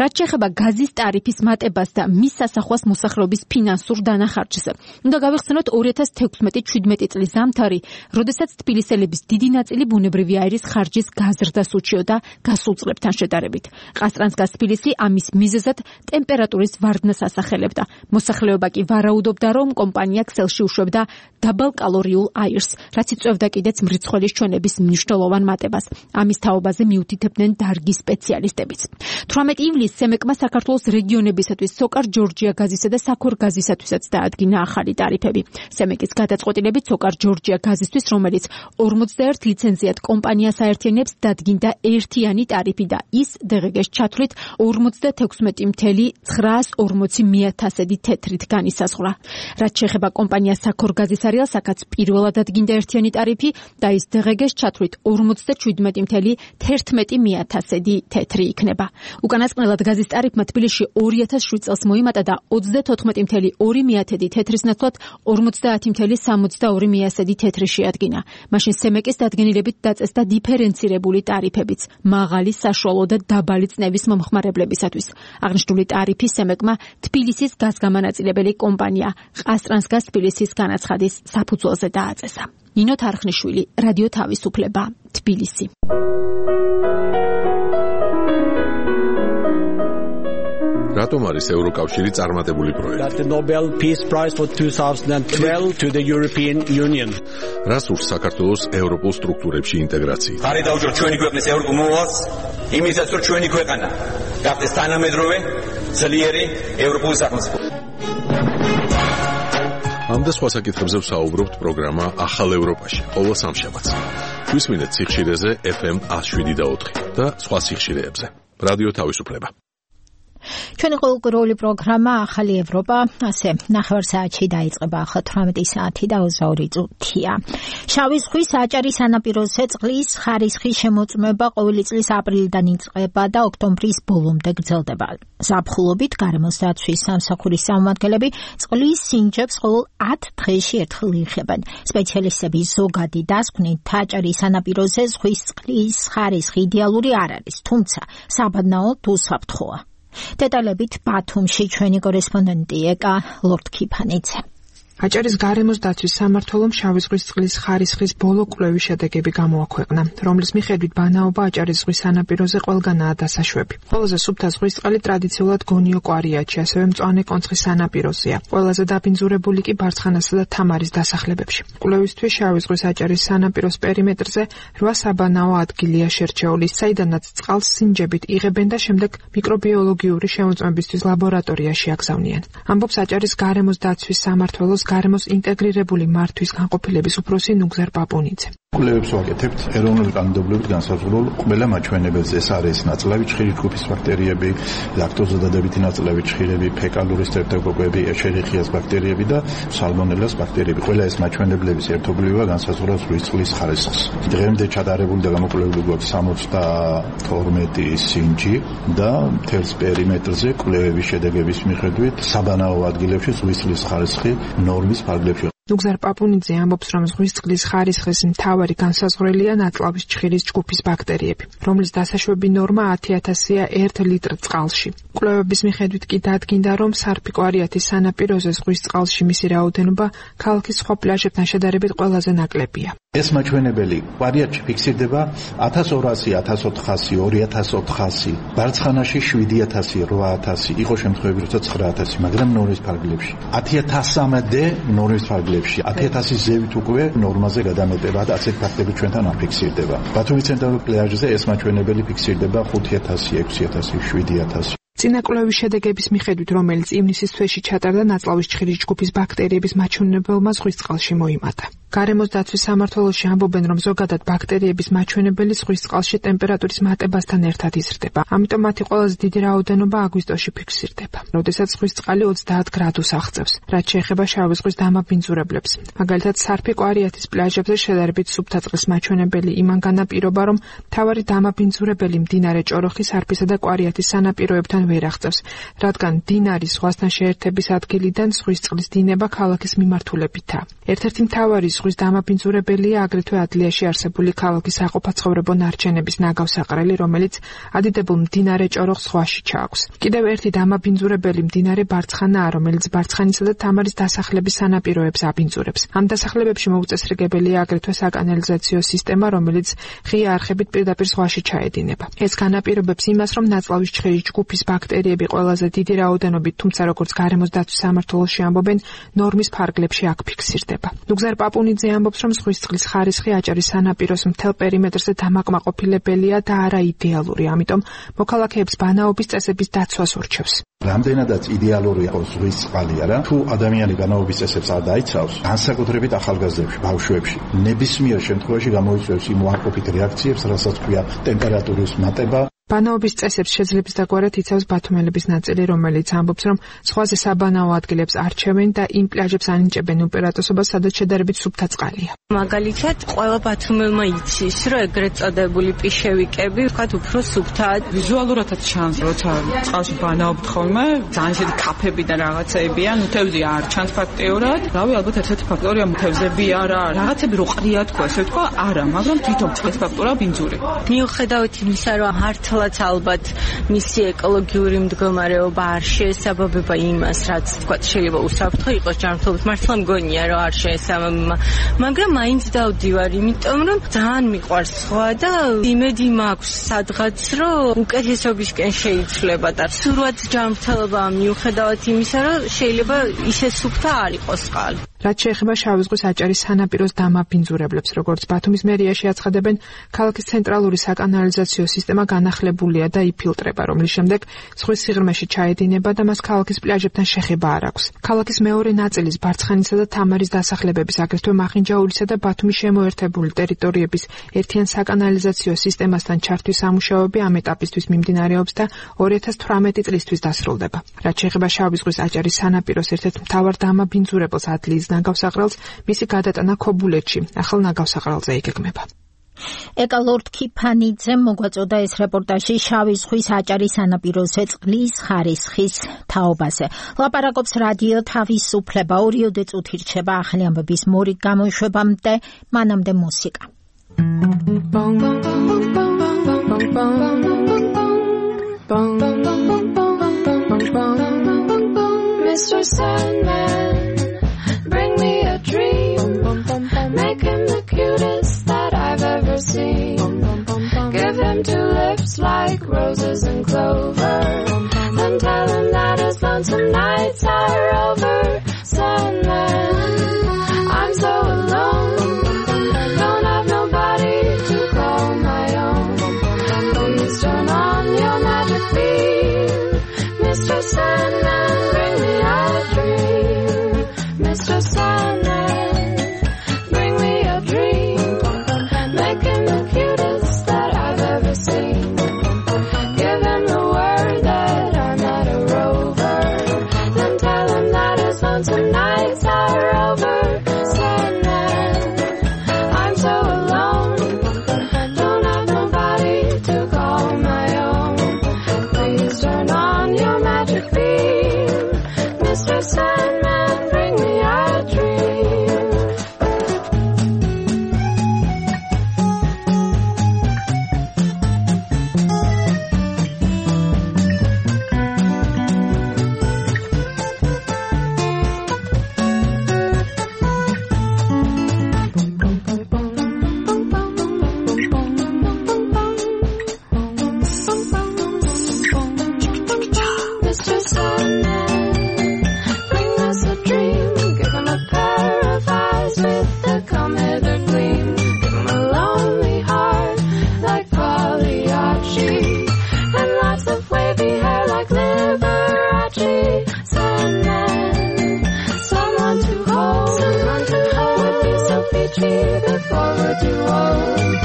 რაც შეეხება გაზის ტარიფის მატებას და მის სასახვას მოსახლეობის ფინანსურ დანახარჯზე, უნდა გავიხსენოთ 2016-17 წლის ზამთარი, როდესაც თბილისელების დიდი ნაწილი ბუნებრივი აირის ხარჯის გაზრდას უჩიოდა გასულ წლებთან შედარებით. ყაზტრანსგაზ თბილისი ამის მიზეზად ტემპერატურის ვარდნას ასახელებდა. მოსახლეობა კი ვარაუდობდა, რომ კომპანია ქსელში უშვებდა დაბალკალორიულ აირს, რაც იწვევდა კიდეც მრიცხველის ჩვენების მნიშვნელოვან მატებას. ამის თაობაზე მიუთითებდნენ დარგის სპეციალისტებიც. 18 ივლისს სემეკმა საქართველოს რეგიონებისათვის სოკარ ჯორჯია გაზისა და საქორ გაზისათვისაც დაადგინა ახალი ტარიფები. სემეკის გადაწყვეტილებით სოკარ ჯორჯია გაზისთვის, რომელიც 41 ლიცენზიათ კომპანიას აერთიანებს, დადგინდა ერთიანი ტარიფი და ის დღგ-ს ჩათვლით 56,940 თეთრით განისაზღვრა. რაც შეეხება კომპანია საქორ გაზის არიალსაკაც პირველად დადგინდა ერთიანი ტარიფი და ის დღგ-ს ჩათვლით 57,11 თეთრი იქნება. უკანასკნელად გაზის ტარიფმა თბილისში 2007 წელს მოიმატა და 34,2 თეთრის ნაცვლად 50,62 თეთრი შეადგინა. მაშინ სემეკის დადგენილებით დაწესდა დიფერენცირებული ტარიფებიც, მაღალი, საშუალო და დაბალი წნევის მომხმარებლებისათვის. აღნიშნული ტარიფი სემეკმა თბილისის გაზგამანაწილებელი კომპანია ყაზტრანსგაზ თბილისის განაცხადის საფუძველზე დააწესა. ნინო თარხნიშვილი, რადიო თავისუფლება, თბილისი. რატომ არის ევროკავშირი წარმატებული პროექტი? The Nobel Peace Prize for 2012 to the European Union. რას ურს საქართველოს ევროპულ სტრუქტურებში ინტეგრაციით? ხარი დაუჭიროთ ჩვენი ქვეყნის ევროპულ მოვალს, იმისაც რომ ჩვენი ქვეყანა გახდეს თანამედროვე, ძლიერი ევროპული სახელმწიფო. ამ და სხვა საკითხებზე ვსაუბრობთ პროგრამა ახალ ევროპაში, ყოველ სამშაბათს. გვისმინეთ სიხშირეზე FM 107.4 და სხვა სიხშირეებზე. რადიო თავისუფლება. ჩვენი ყოველკვირეული პროგრამა ახალი ევროპა ასე 9 საათში დაიწყება, ახლა 18 საათი და 22 წუთია. შავი ზღვის აჭარის სანაპიროზე წყლის ხარისხის შემოწმება ყოველი წლის აპრილიდან იწყება და ოქტომბრის ბოლომდე გრძელდება. ზაფხულობით გარემოს დაცვის სამსახურის წარმომადგენლები წყლის სინჯებს ყოველ 10 დღეში ერთხელ იღებენ. სპეციალისტები ზოგადი დასკვნით აჭარის სანაპიროზე ზღვის წყლის ხარისხი იდეალური არ არის, თუმცა საბადნაოდ უსაფრთხოა. დეტალებით ბათუმში ჩვენი კორესპონდენტი ეკა ლორდ-ქიფანიძე. აჭარის გარემოს დაცვის სამმართველომ შავი ზღვის წყლის ხარისხის ბოლო კვლევის შედეგები გამოაქვეყნა, რომლის მიხედვით ბანაობა აჭარის ზღვის სანაპიროზე ყველგანაა დასაშვები. ყველაზე სუფთა ზღვის წყალი ტრადიციულად გონიო კვარიატში, ასევე მწვანე კონცხის სანაპიროზეა. ყველაზე დაბინძურებული კი ბარცხანასა და თამარის დასახლებებში. კვლევისთვის შავი ზღვის აჭარის სანაპიროს პერიმეტრზე 8 საბანაო ადგილია შერჩეული, საიდანაც წყალს სინჯებით იღებენ და შემდეგ მიკრობიოლოგიური შემოწმებისთვის ლაბორატორიაში აგზავნიან. ამბობს აჭარის გარემოს დაცვის სამმართველოს გარემოს ინტეგრირებული მართვის განყოფილების უფროსი ნუგზარ პაპუნიძე. კვლევებს ვაკეთებთ ეროვნული კანონმდებლობით განსაზღვრულ ყველა მაჩვენებელზე. ეს არის ნაწლავი ჩხირი ჯგუფის ბაქტერიები, ლაქტოზადადებითი ნაწლავი ჩხირები, ფეკალური სტრეპტოკოკები, ეშერიხიას ბაქტერიები და სალმონელას ბაქტერიები. ყველა ეს მაჩვენებლების ერთობლივობა განსაზღვრავს ზღვის წყლის ხარისხს. დღემდე ჩატარებული და გამოკვლეული გვაქვს 72 სინჯი და მთელს პერიმეტრზე კვლევების შედეგების მიხედვით საბანაო ადგილებში ზღვის წყლის ხარისხი ნორმის ფარგლებში. ნუგზარ პაპუნიძე ამბობს, რომ ზღვის წყლის ხარისხის მთავარი განსაზღვრელია ნაწლავის ჩხირის ჯგუფის ბაქტერიები, რომლის დასაშვები ნორმა 10,000-ია 1 ლიტრ წყალში. კვლევების მიხედვით კი დადგინდა, რომ სარფიკვარიათის სანაპიროზე ზღვის წყალში მისი რაოდენობა ქალაქის სხვა პლაჟებთან შედარებით ყველაზე ნაკლებია. ეს მაჩვენებელი კვარიატში ფიქსირდება 1200, 1400, 2400, ბარცხანაში 7000, 8000, იყო შემთხვევები, როცა 9000, მაგრამ ნორმის ფარგლებში. 10000-მდე ნორმის ფარგლებში, 10000-ის ზევით უკვე ნორმაზე გადამეტება და ასეთ ფაქტები ჩვენთან აფიქსირდება. ბათუმის ცენტრალურ პლაჟზე ეს მაჩვენებელი ფიქსირდება 5000, 6000, 7000. წინაკვლევის შედეგების მიხედვით, რომელიც ივნისის თვეში ჩატარდა, ნაწლავის ჭხირის ჯგუფის ბაქტერიების მაჩვენებელმა ზღვის წყალში მოიმატა. გარემოს დაცვის სამმართველოში ამბობენ, რომ ზოგადად ბაქტერიების მაჩვენებელი ზღვის წყალში ტემპერატურის მატებასთან ერთად იზრდება. ამიტომ მათი ყველაზე დიდი რაოდენობა აგვისტოში ფიქსირდება, როდესაც ზღვის წყალი 30 გრადუსს აღწევს, რაც შეეხება შავი ზღვის დამაბინძურებლებს. მაგალითად, სარფი კვარიათის პლაჟებზე შედარებით სუფთა წყლის მაჩვენებელი იმან განაპირობა, რომ მთავარი დამაბინძურებელი მდინარე ჭოროხის, სარფისა და კვარიათის სანაპიროებთან ვერ აღწევს, რადგან მდინარის ზღვასთან შეერთების ადგილიდან ზღვის წყლის დინება ქალაქის მიმართულებითაა. ერთ-ერთი მთავარი ზღვის დამაბინძურებელია აგრეთვე ადლიაში არსებული ქალაქის საყოფაცხოვრებო ნარჩენების ნაგავსაყრელი, რომელიც ადიდებულ მდინარე ჭოროხს ზღვაში ჩააქვს. კიდევ ერთი დამაბინძურებელი მდინარე ბარცხანაა, რომელიც ბარცხანისა და თამარის დასახლების სანაპიროებს აბინძურებს. ამ დასახლებებში მოუწესრიგებელია აგრეთვე საკანალიზაციო სისტემა, რომელიც ღია არხებით პირდაპირ ზღვაში ჩაედინება. ეს განაპირობებს იმას, რომ ნაწლავის ჭხირის ჯგუფის ბაქტერიები ყველაზე დიდი რაოდენობით, თუმცა როგორც გარემოს დაცვის სამმართველოში ამბობენ, ნორმის ფარგლებში აქ ფიქსირდება. ნუგზარ პაპუნიძე ამბობს, რომ ზღვის წყლის ხარისხი აჭარის სანაპიროს მთელ პერიმეტრზე დამაკმაყოფილებელია და არა იდეალური, ამიტომ მოქალაქეებს ბანაობის წესების დაცვას ურჩევს. რამდენადაც იდეალური იყოს ზღვის წყალი არა, თუ ადამიანი ბანაობის წესებს არ დაიცავს, განსაკუთრებით ახალგაზრდებში, ბავშვებში, ნებისმიერ შემთხვევაში გამოიწვევს იმ უარყოფით რეაქციებს, რასაც ქვია ტემპერატურის მატება. ბანაობის წესებს შეძლებს დაგვარად იცავს ბათუმელების ნაწილი, რომელიც ამბობს, რომ ზღვაზე საბანაო ადგილებს არჩევენ და იმ პლაჟებს ანიჭებენ უპირატესობას, სადაც შედარებით სუფთა წყალია. მაგალითად, ყველა ბათუმელმა იცის, რომ ეგრეთ წოდებული პიშევიკები, ვთქვათ, უფრო სუფთაა. ვიზუალურადაც ჩანს, როცა წყალში ბანაობთ ხოლმე, ძალიან შედი კაფები და რაღაცეებია, ნუ თევზი არ ჩანს ფაქტიურად. რავი, ალბათ ერთ-ერთი ფაქტორია თევზები არა, რაღაცები რო ყრია თქვა, ესე ვთქვა, არა, მაგრამ თვითონ წყლის ფაქტორია ბინძური. მიუხედავად იმისა, რომ მართლაც ალბათ მისი ეკოლოგიური მდგომარეობა არ შეესაბამება იმას, რაც ვთქვათ, შეიძლება უსაფრთხო იყოს ჯანმრთელობით. მართლა მგონია, რომ არ შეესაბამება, მაგრამ მაინც დავდივარ, იმიტომ რომ ძალიან მიყვარს სხვა და იმედი მაქვს სადღაც, რომ უკეთესობისკენ შეიცვლება და სურვაც ჯანმრთელობა მიუხედავად იმისა, რომ შეიძლება ისე სუფთა არ იყოს წყალი. რაც შეეხება შავი ზღვის აჭარის სანაპიროს დამაბინძურებლებს, როგორც ბათუმის მერიაში აცხადებენ, ქალაქის ცენტრალური საკანალიზაციო სისტემა განახლებულია და იფილტრება, რომლის შემდეგ ზღვის სიღრმეში ჩაედინება და მას ქალაქის პლაჟებთან შეხება არ აქვს. ქალაქის მეორე ნაწილის ბარცხანისა და თამარის დასახლებების, აგრეთვე მახინჯაურისა და ბათუმის შემოერთებული ტერიტორიების ერთიან საკანალიზაციო სისტემასთან ჩართვის სამუშაოები ამ ეტაპისთვის მიმდინარეობს და 2018 წლისთვის დასრულდება. რაც შეეხება შავი ზღვის აჭარის სანაპიროს ერთ-ერთ მთავარ დამაბინძურებელს ადლიის ნაგავსაყრელს, მისი გადატანა ქობულეთში, ახალ ნაგავსაყრელზე იგეგმება. ეკალორდ ქიფანიძემ მოგვაწოდა ეს რეპორტაჟი შავი ზღვის აჭარის სანაპიროზე წყლის ხარისხის თაობაზე. ლაპარაკობს რადიო თავისუფლება, 2 წუთი რჩება ახალი ამბების მორიგ გამოშვებამდე, მანამდე მუსიკა. Mr. Sandman, bring me a dream, make him the cutest that I've ever seen. Give him 2 lips like roses and clover, then tell him that his lonesome nights are over. Sandman, I'm so alone, don't have nobody to call my own. Please turn on your magic beam, Mr. Sandman, bring me a dream. Mr. Sandman, bring me a dream, make him the cutest that I've ever seen. Give him the word that I'm not a rover, then tell him that his lonesome nights are over. Sandman, I'm so alone, don't have nobody to call my own. Please turn on your magic beam, Mr. Sandman, bring me a dream. before we're too old.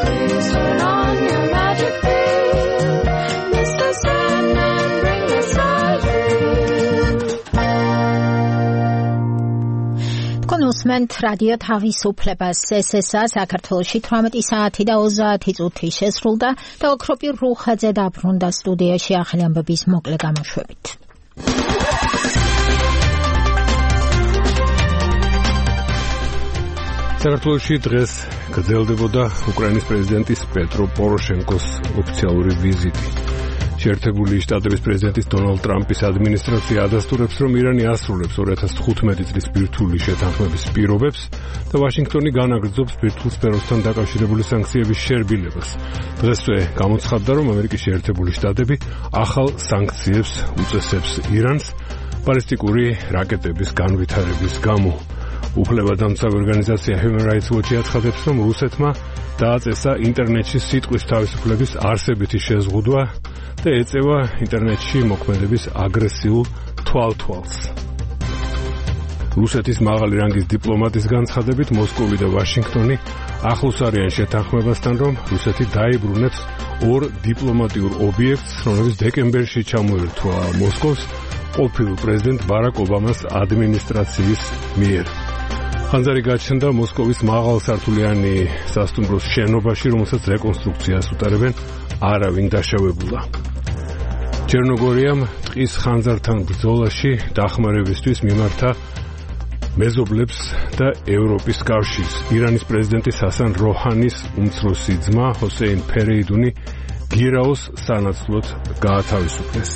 Please turn on your magic beam, Mr. Sandman, bring us our dream. თქვენ უსმენთ რადიო თავისუფლებას. ესეა საქართველოში 18 საათი და 30 წუთი შესრულდა და ოქროპირ რუხაძე დაბრუნდა სტუდიაში ახალი ამბების მოკლე გამოშვებით. საქართველოში დღეს გრძელდებოდა უკრაინის პრეზიდენტის პეტრო პოროშენკოს ოფიციალური ვიზიტი. შეერთებული შტატების პრეზიდენტის დონალდ ტრამპის ადმინისტრაცია ადასტურებს, რომ ირანი ასრულებს 2015 წლის ბირთვული შეთანხმების პირობებს და ვაშინგტონი განაგრძობს ბირთვულ სფეროსთან დაკავშირებული სანქციების შერბილებას. დღესვე გამოცხადდა, რომ ამერიკის შეერთებული შტატები ახალ სანქციებს უწესებს ირანს ბალისტიკური რაკეტების განვითარების გამო. უფლებადამცავი ორგანიზაცია Human Rights Watch აცხადებს, რომ რუსეთმა დააწესა ინტერნეტში სიტყვის თავისუფლების არსებითი შეზღუდვა და ეწევა ინტერნეტში მოქმედების აგრესიულ თვალთვალს. რუსეთის მაღალი რანგის დიპლომატის განცხადებით, მოსკოვი და ვაშინგტონი ახლოს არიან შეთანხმებასთან, რომ რუსეთი დაიბრუნებს ორ დიპლომატიურ ობიექტს, რომლებიც დეკემბერში ჩამოერთვა მოსკოვს ყოფილ პრეზიდენტ ბარაკ ობამას ადმინისტრაციის მიერ. ხანძარი გაჩნდა მოსკოვის მაღალსართულიანი სასტუმროს შენობაში, რომელსაც რეკონსტრუქციას უტარებენ არავინ დაშავებულა. ჩერნოგორიამ ტყის ხანძართან ბრძოლაში დახმარებისთვის მიმართა მეზობლებს და ევროპის კავშირს. ირანის პრეზიდენტის ჰასან როჰანის უმცროსი ძმა ჰოსეინ ფერეიდუნი გირაოს სანაცვლოდ გაათავისუფლეს.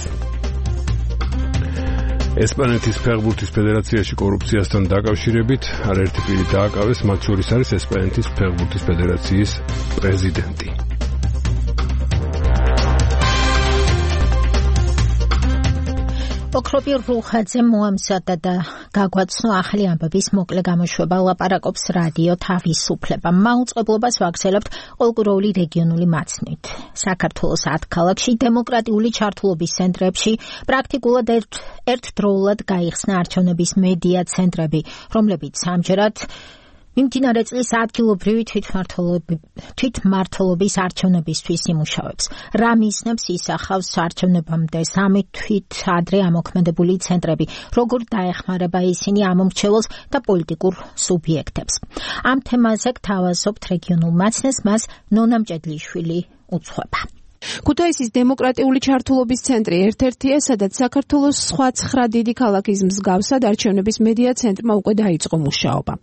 ესპანეთის ფეხბურთის ფედერაციაში კორუფციასთან დაკავშირებით არაერთი პირი დააკავეს, მათ შორის არის ესპანეთის ფეხბურთის ფედერაციის პრეზიდენტი. ოქროპირ რუხაძე მოამზადა და გაგვაცნო ახალი ამბების მოკლე გამოშვება. ლაპარაკობს რადიო თავისუფლება. მაუწყებლობას ვაგრძელებთ ყოველკვირეული რეგიონული მაცნით. საქართველოს 10 ქალაქში დემოკრატიული ჩართულობის ცენტრებში პრაქტიკულად ერთდროულად გაიხსნა არჩევნების მედია ცენტრები, რომლებიც ამჯერად მიმდინარე წლის ადგილობრივი თვითმმართველობის არჩევნებისთვის იმუშავებს. რა მიზნებს ისახავს არჩევნებამდე 3 თვით ადრე ამოქმედებული ცენტრები, როგორ დაეხმარება ისინი ამომრჩეველს და პოლიტიკურ სუბიექტებს. ამ თემაზე გთავაზობთ რეგიონულ მაცნეს, მას ნონა მჭედლიშვილი უძღვება. ქუთაისის დემოკრატიული ჩართულობის ცენტრი ერთ-ერთია, სადაც საქართველოს სხვა 9 დიდი ქალაქის მსგავსად არჩევნების მედია ცენტრმა უკვე დაიწყო მუშაობა.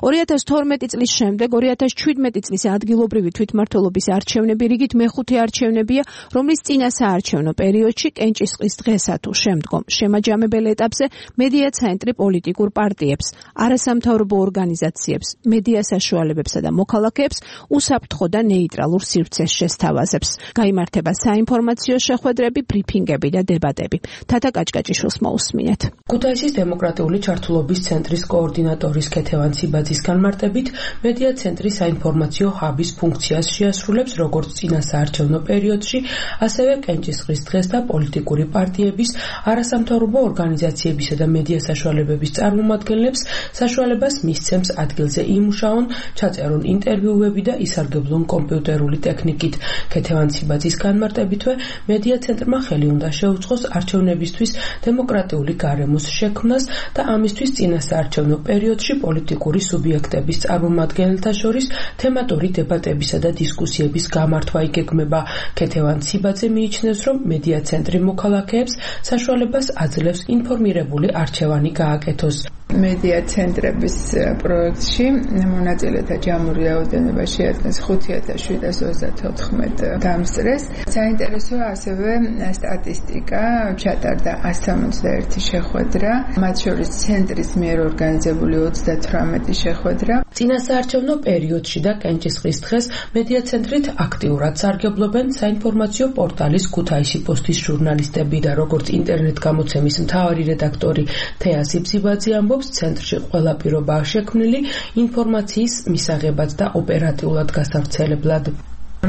2012 წლის შემდეგ 2017 წლის ადგილობრივი თვითმმართველობის არჩევნები რიგით მეხუთე არჩევნებია, რომლის წინა საარჩევნო პერიოდში კენჭისყრის დღესა თუ შემდგომ შემაჯამებელ ეტაპზე მედია ცენტრი პოლიტიკურ პარტიებს, არასამთავრობო ორგანიზაციებს, მედია საშუალებებსა და მოქალაქეებს უსაფრთხო და ნეიტრალურ სივრცეს შესთავაზებს. გაიმართება საინფორმაციო შეხვედრები, ბრიფინგები და დებატები. თათა კაჭკაჭიშვილს მოусმინეთ. ქუთაისის დემოკრატიული ჩართულობის ცენტრის კოორდინატორის ქეთევან ციბაძის განმარტებით, მედია ცენტრი საინფორმაციო ჰაბის ფუნქციას შეასრულებს როგორც წინა საარჩევნო პერიოდში, ასევე კენჭისყრის დღეს და პოლიტიკური პარტიების, არასამთავრობო ორგანიზაციებისა და მედია საშუალებების წარმომადგენლებს საშუალებას მისცემს ადგილზე იმუშაონ, ჩაწერონ ინტერვიუები და ისარგებლონ კომპიუტერული ტექნიკით. ქეთევან ციბაძის განმარტებითვე, მედია ცენტრმა ხელი უნდა შეუწყოს არჩევნებისთვის დემოკრატიული გარემოს შექმნას და ამისთვის წინა საარჩევნო პერიოდში პოლიტიკური სუბიექტების წარმომადგენელთა შორის თემატური დებატებისა და დისკუსიების გამართვა იგეგმება. ქეთევან ციბაძე მიიჩნევს, რომ მედია ცენტრი მოქალაქეებს საშუალებას აძლევს ინფორმირებული არჩევანი გააკეთოს. მედია ცენტრების პროექტში მონაწილეთა ჯამური რაოდენობა შეადგენს 5734 დამსწრეს. საინტერესოა ასევე სტატისტიკა, ჩატარდა 171 შეხვედრა, მათ შორის ცენტრის მიერ ორგანიზებული 38 შეხვედრა. წინა საარჩევნო პერიოდში და კენჭისყრის დღეს მედია ცენტრით აქტიურად სარგებლობენ საინფორმაციო პორტალის ქუთაისი პოსტის ჟურნალისტები და როგორც ინტერნეტ გამოცემის მთავარი რედაქტორი თეა სიბსიბაძე ამბობს, ცენტრში ყველა პირობაა შექმნილი ინფორმაციის მისაღებად და ოპერატიულად გასავრცელებლად.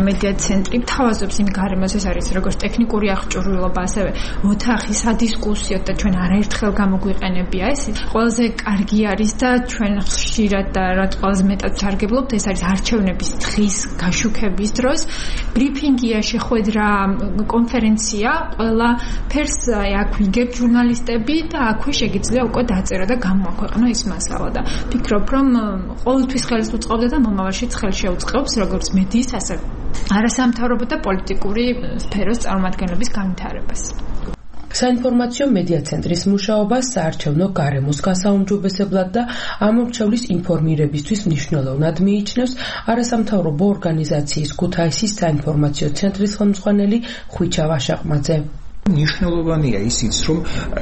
მედია ცენტრი თავაზობს იმ გარემოს, ეს არის როგორც ტექნიკური აღჭურვილობა, ასევე ოთახი სადისკუსიო და ჩვენ არაერთხელ გამოგვიყენებია ეს. ყველაზე კარგი არის და ჩვენ ხშირად და რაც ყველაზე მეტად ჩარგებლობთ, ეს არის არჩევნების დღის გაშუქების დროს. ბრიფინგია, შეხვედრა, კონფერენცია, ყველა ფერს აქ ვიგებთ ჟურნალისტები და აქვე შეგიძლია უკვე დაწერა და გამოაქვეყნო ის მასალა და ფიქრობ, რომ ყოველთვის ხელს უწყობდა და მომავალშიც ხელს შეუწყობს როგორც მედიის, ასე არასამთავრობო და პოლიტიკური სფეროს წარმომადგენლების განვითარებას. საინფორმაციო მედია ცენტრის მუშაობა საარჩევნო გარემოს გასაუმჯობესებლად და ამომრჩევლის ინფორმირებისთვის მნიშვნელოვნად მიიჩნევს არასამთავრობო ორგანიზაციის ქუთაისის საინფორმაციო ცენტრის ხელმძღვანელი ხვიჩა ვაშაყმაძე. მნიშვნელოვანია ისიც, რომ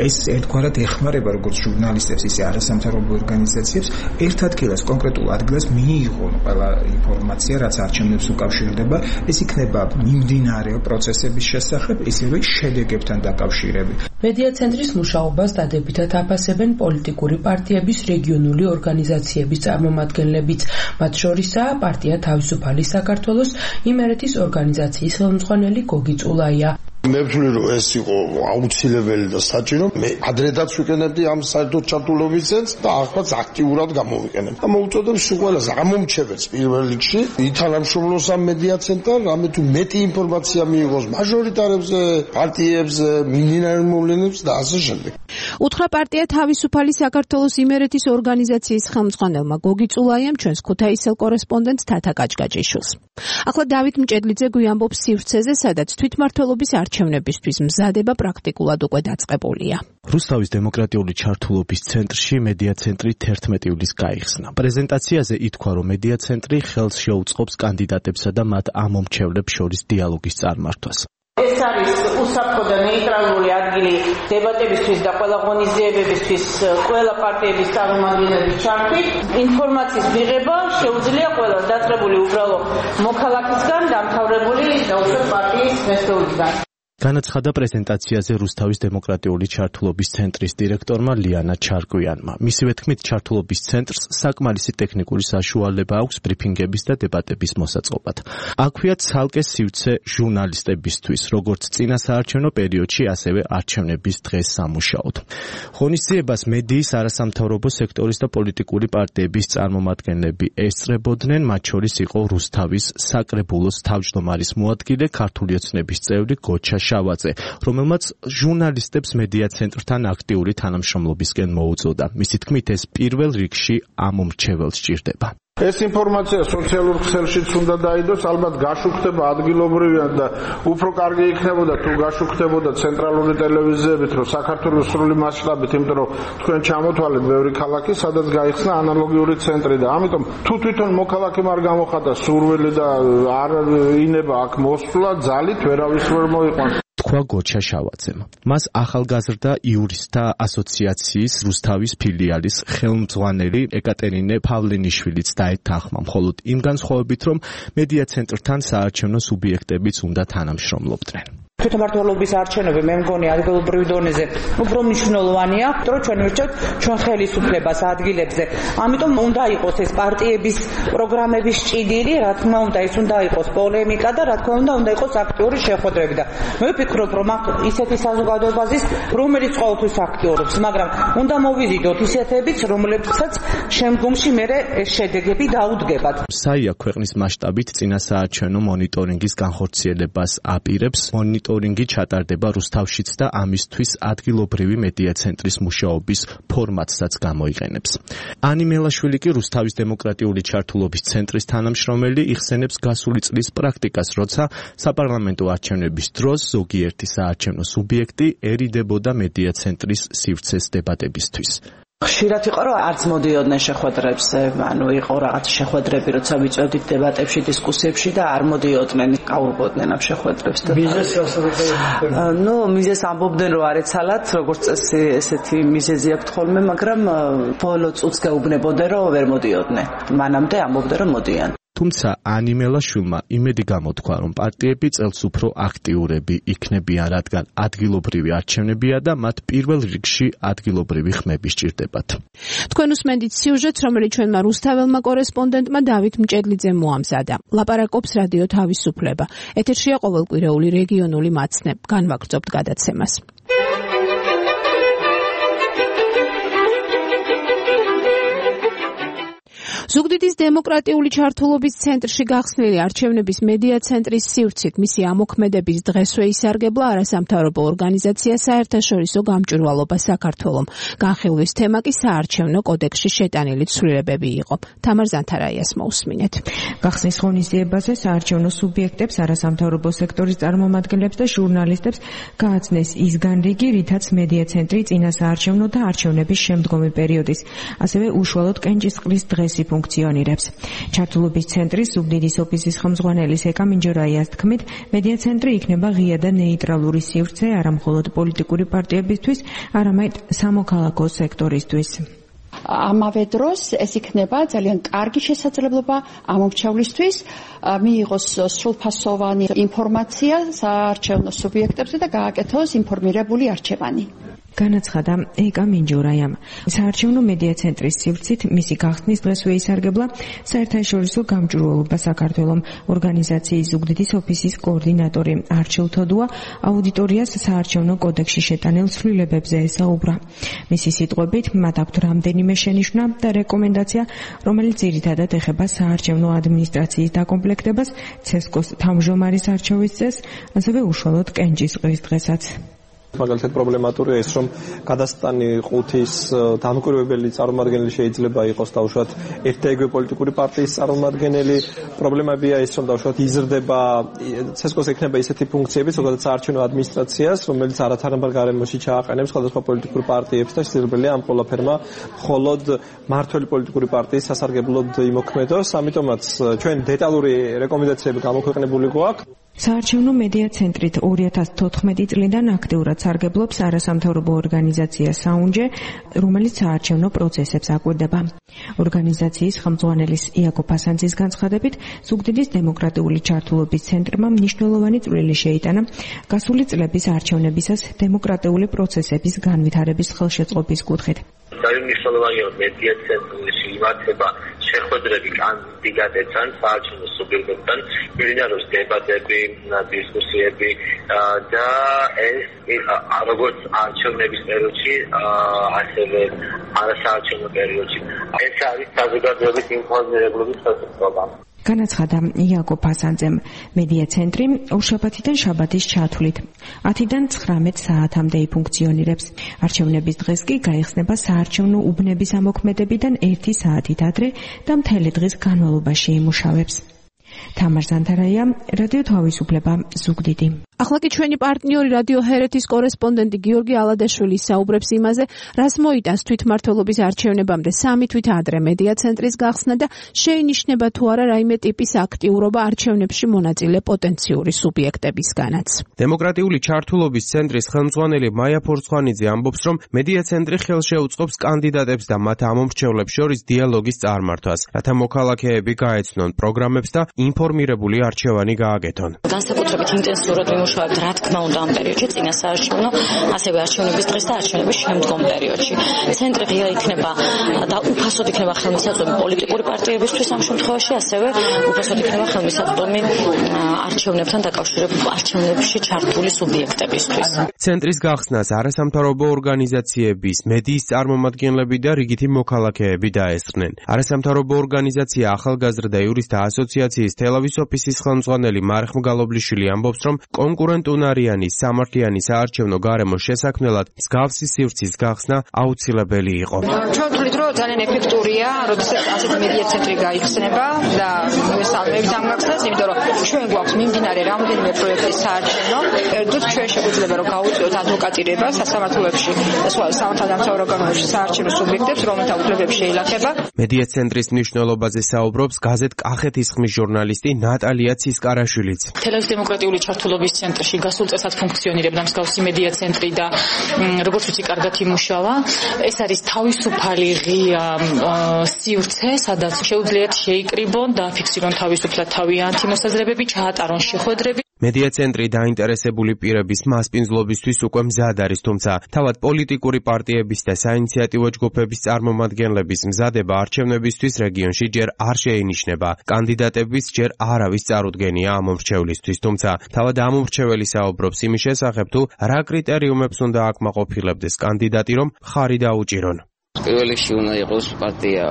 ეს ერთგვარად ეხმარება როგორც ჟურნალისტებს, ისე არასამთავრობო ორგანიზაციებს ერთ ადგილას, კონკრეტულ ადგილას მიიღონ ყველა ინფორმაცია, რაც არჩევნებს უკავშირდება, ეს იქნება მიმდინარე პროცესების შესახებ, ისევე შედეგებთან დაკავშირებით. მედია ცენტრის მუშაობას დადებითად აფასებენ პოლიტიკური პარტიების რეგიონული ორგანიზაციების წარმომადგენლებიც, მათ შორისაა პარტია თავისუფალი საქართველოს იმერეთის ორგანიზაციის ხელმძღვანელი გოგი წულაია. მე ვთვლი რომ ეს იყო აუცილებელი და საჭირო. მე ადრედაც ვიყენებდი ამ საერთო ჩართულობის ცენტრს და ახლაც აქტიურად გამოვიყენებ. და მოუწოდებ სულ ამომრჩეველს პირველ რიგში ითანამშრომლოს ამ მედია ცენტრთან, რამე თუ მეტი ინფორმაცია მიიღოს მაჟორიტარებზე, პარტიებზე, მიმდინარე მოვლენებს და ასე შემდეგ. უთხრა პარტია თავისუფალი საქართველოს იმერეთის ორგანიზაციის ხელმძღვანელმა გოგი წულაიამ ჩვენს ქუთაისელ კორესპონდენტ თათა კაჭკაჭიშვილს. ახლა დავით მჭედლიძე გვიამბობს სივრცეზე, სადაც თვითმმართველობის არჩევნებისთვის მზადება პრაქტიკულად უკვე დაწყებულია. რუსთავის დემოკრატიული ჩართულობის ცენტრში მედია ცენტრი 11 ივლისს გაიხსნა. პრეზენტაციაზე ითქვა, რომ მედია ცენტრი ხელს შეუწყობს კანდიდატებსა და მათ ამომრჩევლებს შორის დიალოგის წარმართვას. ეს არის უსაფრთხო და ნეიტრალური ადგილი დებატებისთვის და ყველა ღონისძიებებისთვის ყველა პარტიების წარმომადგენლების ჩართვით. ინფორმაციის მიღება შეუძლია ყველას დაწყებული უბრალო მოქალაქისგან, დამთავრებული დაუშვათ პარტიის მესტეულისგან. განაცხადა პრეზენტაციაზე რუსთავის დემოკრატიული ჩართულობის ცენტრის დირექტორმა ლიანა ჩარკვიანმა. მისივე თქმით, ჩართულობის ცენტრს საკმარისი ტექნიკური საშუალება აქვს ბრიფინგების და დებატების მოსაწყობად. აქვეა ცალკე სივრცე ჟურნალისტებისთვის, როგორც წინა საარჩევნო პერიოდში, ასევე არჩევნების დღეს სამუშაოდ. ღონისძიებას მედიის არასამთავრობო სექტორის და პოლიტიკური პარტიების წარმომადგენლები ესწრებოდნენ, მათ შორის იყო რუსთავის საკრებულოს თავმჯდომარის მოადგილე, ქართული ოცნების წევრი გოჩა შავაძე, რომელმაც ჟურნალისტებს მედია ცენტრთან აქტიური თანამშრომლობისკენ მოუწოდა. მისი თქმით, ეს პირველ რიგში ამომრჩეველს სჭირდება. ეს ინფორმაცია სოციალურ ქსელშიც უნდა დაიდოს, ალბათ გაშუქდება ადგილობრივად და უფრო კარგი იქნებოდა თუ გაშუქდებოდა ცენტრალური ტელევიზიებით, რომ საქართველოს სრული მასშტაბით, იმიტომ რომ თქვენ ჩამოთვალეთ ბევრი ქალაქი, სადაც გაიხსნა ანალოგიური ცენტრი და ამიტომ თუ თვითონ მოქალაქემ არ გამოხატა სურვილი და არ ინება აქ მოსვლა, ძალით ვერავის ვერ მოიყვანს. თქვა გოჩა შავაძემ. მას ახალგაზრდა იურისტთა ასოციაციის რუსთავის ფილიალის ხელმძღვანელი ეკატერინე პავლენიშვილიც დაეთანხმა, მხოლოდ იმ განსხვავებით, რომ მედია ცენტრთან საარჩევნო სუბიექტებიც უნდა თანამშრომლობდნენ. თვითმმართველობის არჩევნები მე მგონი ადგილობრივ დონეზე უფრო მნიშვნელოვანია, რომ ჩვენ ვირჩევთ ჩვენ ხელისუფლებას ადგილებზე. ამიტომ უნდა იყოს ეს პარტიების პროგრამების ჭიდილი, რა თქმა უნდა, ეს უნდა იყოს პოლემიკა და რა თქმა უნდა იყოს აქტიური შეხვედრები და მე ვფიქრობ, რომ ისეთი საზოგადოებაზის, რომელიც ყოველთვის აქტიურობს, მაგრამ უნდა მოვიზიდოთ ისეთებიც, რომლებსაც შემდგომში მერე ეს შედეგები დაუდგებათ. საია ქვეყნის მასშტაბით წინა საარჩევნო მონიტორინგის განხორციელებას აპირებს. მონიტორინგი ჩატარდება რუსთავშიც და ამისთვის ადგილობრივი მედია ცენტრის მუშაობის ფორმატსაც გამოიყენებს. ანი მელაშვილი კი რუსთავის დემოკრატიული ჩართულობის ცენტრის თანამშრომელი იხსენებს გასული წლის პრაქტიკას, როცა საპარლამენტო არჩევნების დროს ზოგიერთი საარჩევნო სუბიექტი ერიდებოდა მედია ცენტრის სივრცეს დებატებისთვის. ხშირად იყო რომ არც მოდიოდნენ შეხვედრებზე, ანუ იყო რაღაც შეხვედრები, როცა ვიწოდით დებატებში, დისკუსიებში და არ მოდიოდნენ, გაურბოდნენ ამ შეხვედრებს და მიზეს ამბობდნენ რომ არ ეცალათ, როგორც წესი ესეთი მიზეზი აქვს ხოლმე, მაგრამ ბოლო წუთს გაუბნებოდნენ რომ ვერ მოდიოდნენ. მანამდე ამბობდნენ რომ მოდიან. თუმცა ანიმელაშვილმა იმედი გამოთქვა, რომ პარტიები წელს უფრო აქტიურები იქნებიან, რადგან ადგილობრივი არჩევნებია და მათ პირველ რიგში ადგილობრივი ხმები სჭირდებათ. თქვენ უსმენთ სიუჟეტს, რომელიც ჩვენმა რუსთაველმა კორესპონდენტმა დავით მჭედლიძემ მოამზადა. ლაპარაკობს რადიო თავისუფლება. ეთერშია ყოველკვირეული რეგიონული მაცნე. განვაგრძობთ გადაცემას. ზუგდიდის დემოკრატიული ჩართულობის ცენტრში გახსნილი არჩევნების მედია ცენტრის სივრცით მისი ამოქმედების დღესვე ისარგებლა არასამთავრობო ორგანიზაცია საერთაშორისო გამჭვირვალობა საქართველომ. განხილვის თემა კი საარჩევნო კოდექსში შეტანილი ცვლილებები იყო. თამარ ზანთარაიას მოусმინეთ. გახსნის ღონისძიებაზე საარჩევნო სუბიექტებს, არასამთავრობო სექტორის წარმომადგენლებს და ჟურნალისტებს გააცნეს ის განრიგი, რითაც მედია ცენტრი წინა საარჩევნო და არჩევნების შემდგომი პერიოდის, ასევე უშუალოდ კენჭისყრის დღეს ფუნქციონირებს. ჩართულობის ცენტრის ზუგდიდის ოფისის ხელმძღვანელის ეკა მინჯორაიას თქმით, მედია ცენტრი იქნება ღია და ნეიტრალური სივრცე არა მხოლოდ პოლიტიკური პარტიებისთვის, არამედ სამოქალაქო სექტორისთვის. ამავე დროს ეს იქნება ძალიან კარგი შესაძლებლობა ამომრჩევლისთვის მიიღოს სრულფასოვანი ინფორმაცია საარჩევნო სუბიექტებზე და გააკეთოს ინფორმირებული არჩევანი. განაცხადა ეკა მინჯორაიამ. საარჩევნო მედია ცენტრის სივრცით მისი გახსნის დღესვე ისარგებლა საერთაშორისო გამჭვირვალობა საქართველომ ორგანიზაციის ზუგდიდის ოფისის კოორდინატორი არჩილ თოდუა აუდიტორიას საარჩევნო კოდექსში შეტანილ ცვლილებებზე ესაუბრა. მისი სიტყვებით, მათ აქვთ რამდენიმე შენიშვნა და რეკომენდაცია, რომელიც ძირითადად ეხება საარჩევნო ადმინისტრაციის დაკომპლექტებას, ცესკოს თავმჯდომარის არჩევის წესს, ასევე უშუალოდ კენჭისყრის დღესაც. მაგალითად პრობლემატურია ის, რომ გადასტანი ყუთის დამკვირვებელი წარმომადგენელი შეიძლება იყოს დაუშვათ ერთ და იგივე პოლიტიკური პარტიის წარმომადგენელი. პრობლემებია ის, რომ დაუშვათ იზრდება ცესკოს ექნება ისეთი ფუნქციები, ზოგადად საარჩევნო ადმინისტრაციას, რომელიც არათანაბარ გარემოში ჩააყენებს სხვადასხვა პოლიტიკურ პარტიებს და შესაძლებელია ამ ყველაფერმა მხოლოდ მმართველი პოლიტიკური პარტიის სასარგებლოდ იმოქმედოს. ამიტომაც ჩვენ დეტალური რეკომენდაციები გამოქვეყნებული გვაქვს. საარჩევნო მედია ცენტრით 2014 წლიდან აქტიურად სარგებლობს არასამთავრობო ორგანიზაცია საუნჯე, რომელიც საარჩევნო პროცესებს აკვირდება. ორგანიზაციის ხელმძღვანელის იაკო ფასანძის განცხადებით, ზუგდიდის დემოკრატიული ჩართულობის ცენტრმა მნიშვნელოვანი წვლილი შეიტანა გასული წლების არჩევნებისას დემოკრატიული პროცესების განვითარების ხელშეწყობის კუთხით. ძალიან მნიშვნელოვანია მედია ცენტრში იმართება შეხვედრები კანდიდატებთან, საარჩევნო სუბიექტებთან, მიმდინარეობს დებატები, დისკუსიები და ეს როგორც არჩევნების პერიოდში, ასევე არასაარჩევნო პერიოდში. ეს არის საზოგადოების ინფორმირებლობის ხელშეწყობა. განაცხადა იაკო ფასანძემ. მედია ცენტრი ორშაბათიდან შაბათის ჩათვლით 10-დან 19 საათამდე იფუნქციონირებს. არჩევნების დღეს კი გაიხსნება საარჩევნო უბნების ამოქმედებიდან 1 საათით ადრე და მთელი დღის განმავლობაში იმუშავებს. თამარ ზანთარაია, რადიო თავისუფლება, ზუგდიდი. ახლა კი ჩვენი პარტნიორი რადიო ჰერეთის კორესპონდენტი გიორგი ალადაშვილი საუბრებს იმაზე, რას მოიტანს თვითმმართველობის არჩევნებამდე 3 თვით ადრე მედია ცენტრის გახსნა და შეინიშნება თუ არა რაიმე ტიპის აქტიურობა არჩევნებში მონაწილე პოტენციური სუბიექტებისგანაც. დემოკრატიული ჩართულობის ცენტრის ხელმძღვანელი მაია ფორცხვანიძე ამბობს, რომ მედია ცენტრი ხელშეუწყობს კანდიდატებს და მათ ამომრჩევლებს შორის დიალოგის წარმართვას, რათა მოქალაქეები გაეცნონ პროგრამებს და ინფორმირებული არჩევანი გააკეთონ. განსაკუთრებით ინტენსიურად ვიმუშავებთ, რა თქმა უნდა, ამ პერიოდში, წინა საარჩევნო, ასევე არჩევნების დღეს და არჩევნების შემდგომ პერიოდში. ცენტრი ღია იქნება და უფასოდ იქნება ხელმისაწვდომი პოლიტიკური პარტიებისთვის ამ შემთხვევაში, ასევე უფასოდ იქნება ხელმისაწვდომი არჩევნებთან დაკავშირებული არჩევნებში ჩართული სუბიექტებისთვის. ცენტრის გახსნას არასამთავრობო ორგანიზაციების, მედიის წარმომადგენლები და რიგითი მოქალაქეები დაესწრნენ. არასამთავრობო ორგანიზაცია ახალგაზრდა იურისტთა ასოციაციის თელავის ოფისის ხელმძღვანელი მარხ მგალობლიშვილი ამბობს, რომ კონკურენტუნარიანი სამართლიანი საარჩევნო გარემოს შესაქმნელად მსგავსი სივრცის გახსნა აუცილებელი იყო. ჩვენ ვთვლით, რომ ძალიან ეფექტურია, როდესაც ასეთი მედია ცენტრი გაიხსნება და მესალმებით ამ გახსნას, იმიტომ რომ ჩვენ გვაქვს მიმდინარე რამდენიმე პროექტის საარჩევნო. ერთად ჩვენ შეგვიძლია რომ გავუწიოთ ადვოკატირება სასამართლოებში და სხვა სამართალდამცავ ორგანოებში საარჩევნო სუბიექტებს, რომელთა უფლებები შეილახება. მედია ცენტრის მნიშვნელობაზე საუბრობს გაზეთ კახეთის ხმის ჟურნალისტი ნატალია ცისკარაშვილიც. თელავის დემოკრატიული ჩართულობის ცენტრში გასულ წელსაც ფუნქციონირებდა მსგავსი მედია ცენტრი და როგორც ვიცი, კარგად იმუშავა. ეს არის თავისუფალი ღია სივრცე, სადაც შეუძლიათ შეიკრიბონ და ფიქსირონ თავისუფლად თავიანთი მოსაზრებები, ჩაატარონ შეხვედრები. მედია ცენტრი დაინტერესებული პირების მასპინძლობისთვის უკვე მზად არის, თუმცა თავად პოლიტიკური პარტიების და საინიციატივო ჯგუფების წარმომადგენლების მზადება არჩევნებისთვის რეგიონში ჯერ არ შეინიშნება. კანდიდატების ჯერ არავის წარუდგენია ამ მომრჩევლისთვის, თუმცა თავად ამ მომრჩეველი საუბრობს იმის შესახებ, თუ რა კრიტერიუმებს უნდა აკმაყოფილებდეს კანდიდატი, რომ ხარი დაუჭირონ. პირველ რიგში უნდა იყოს პარტია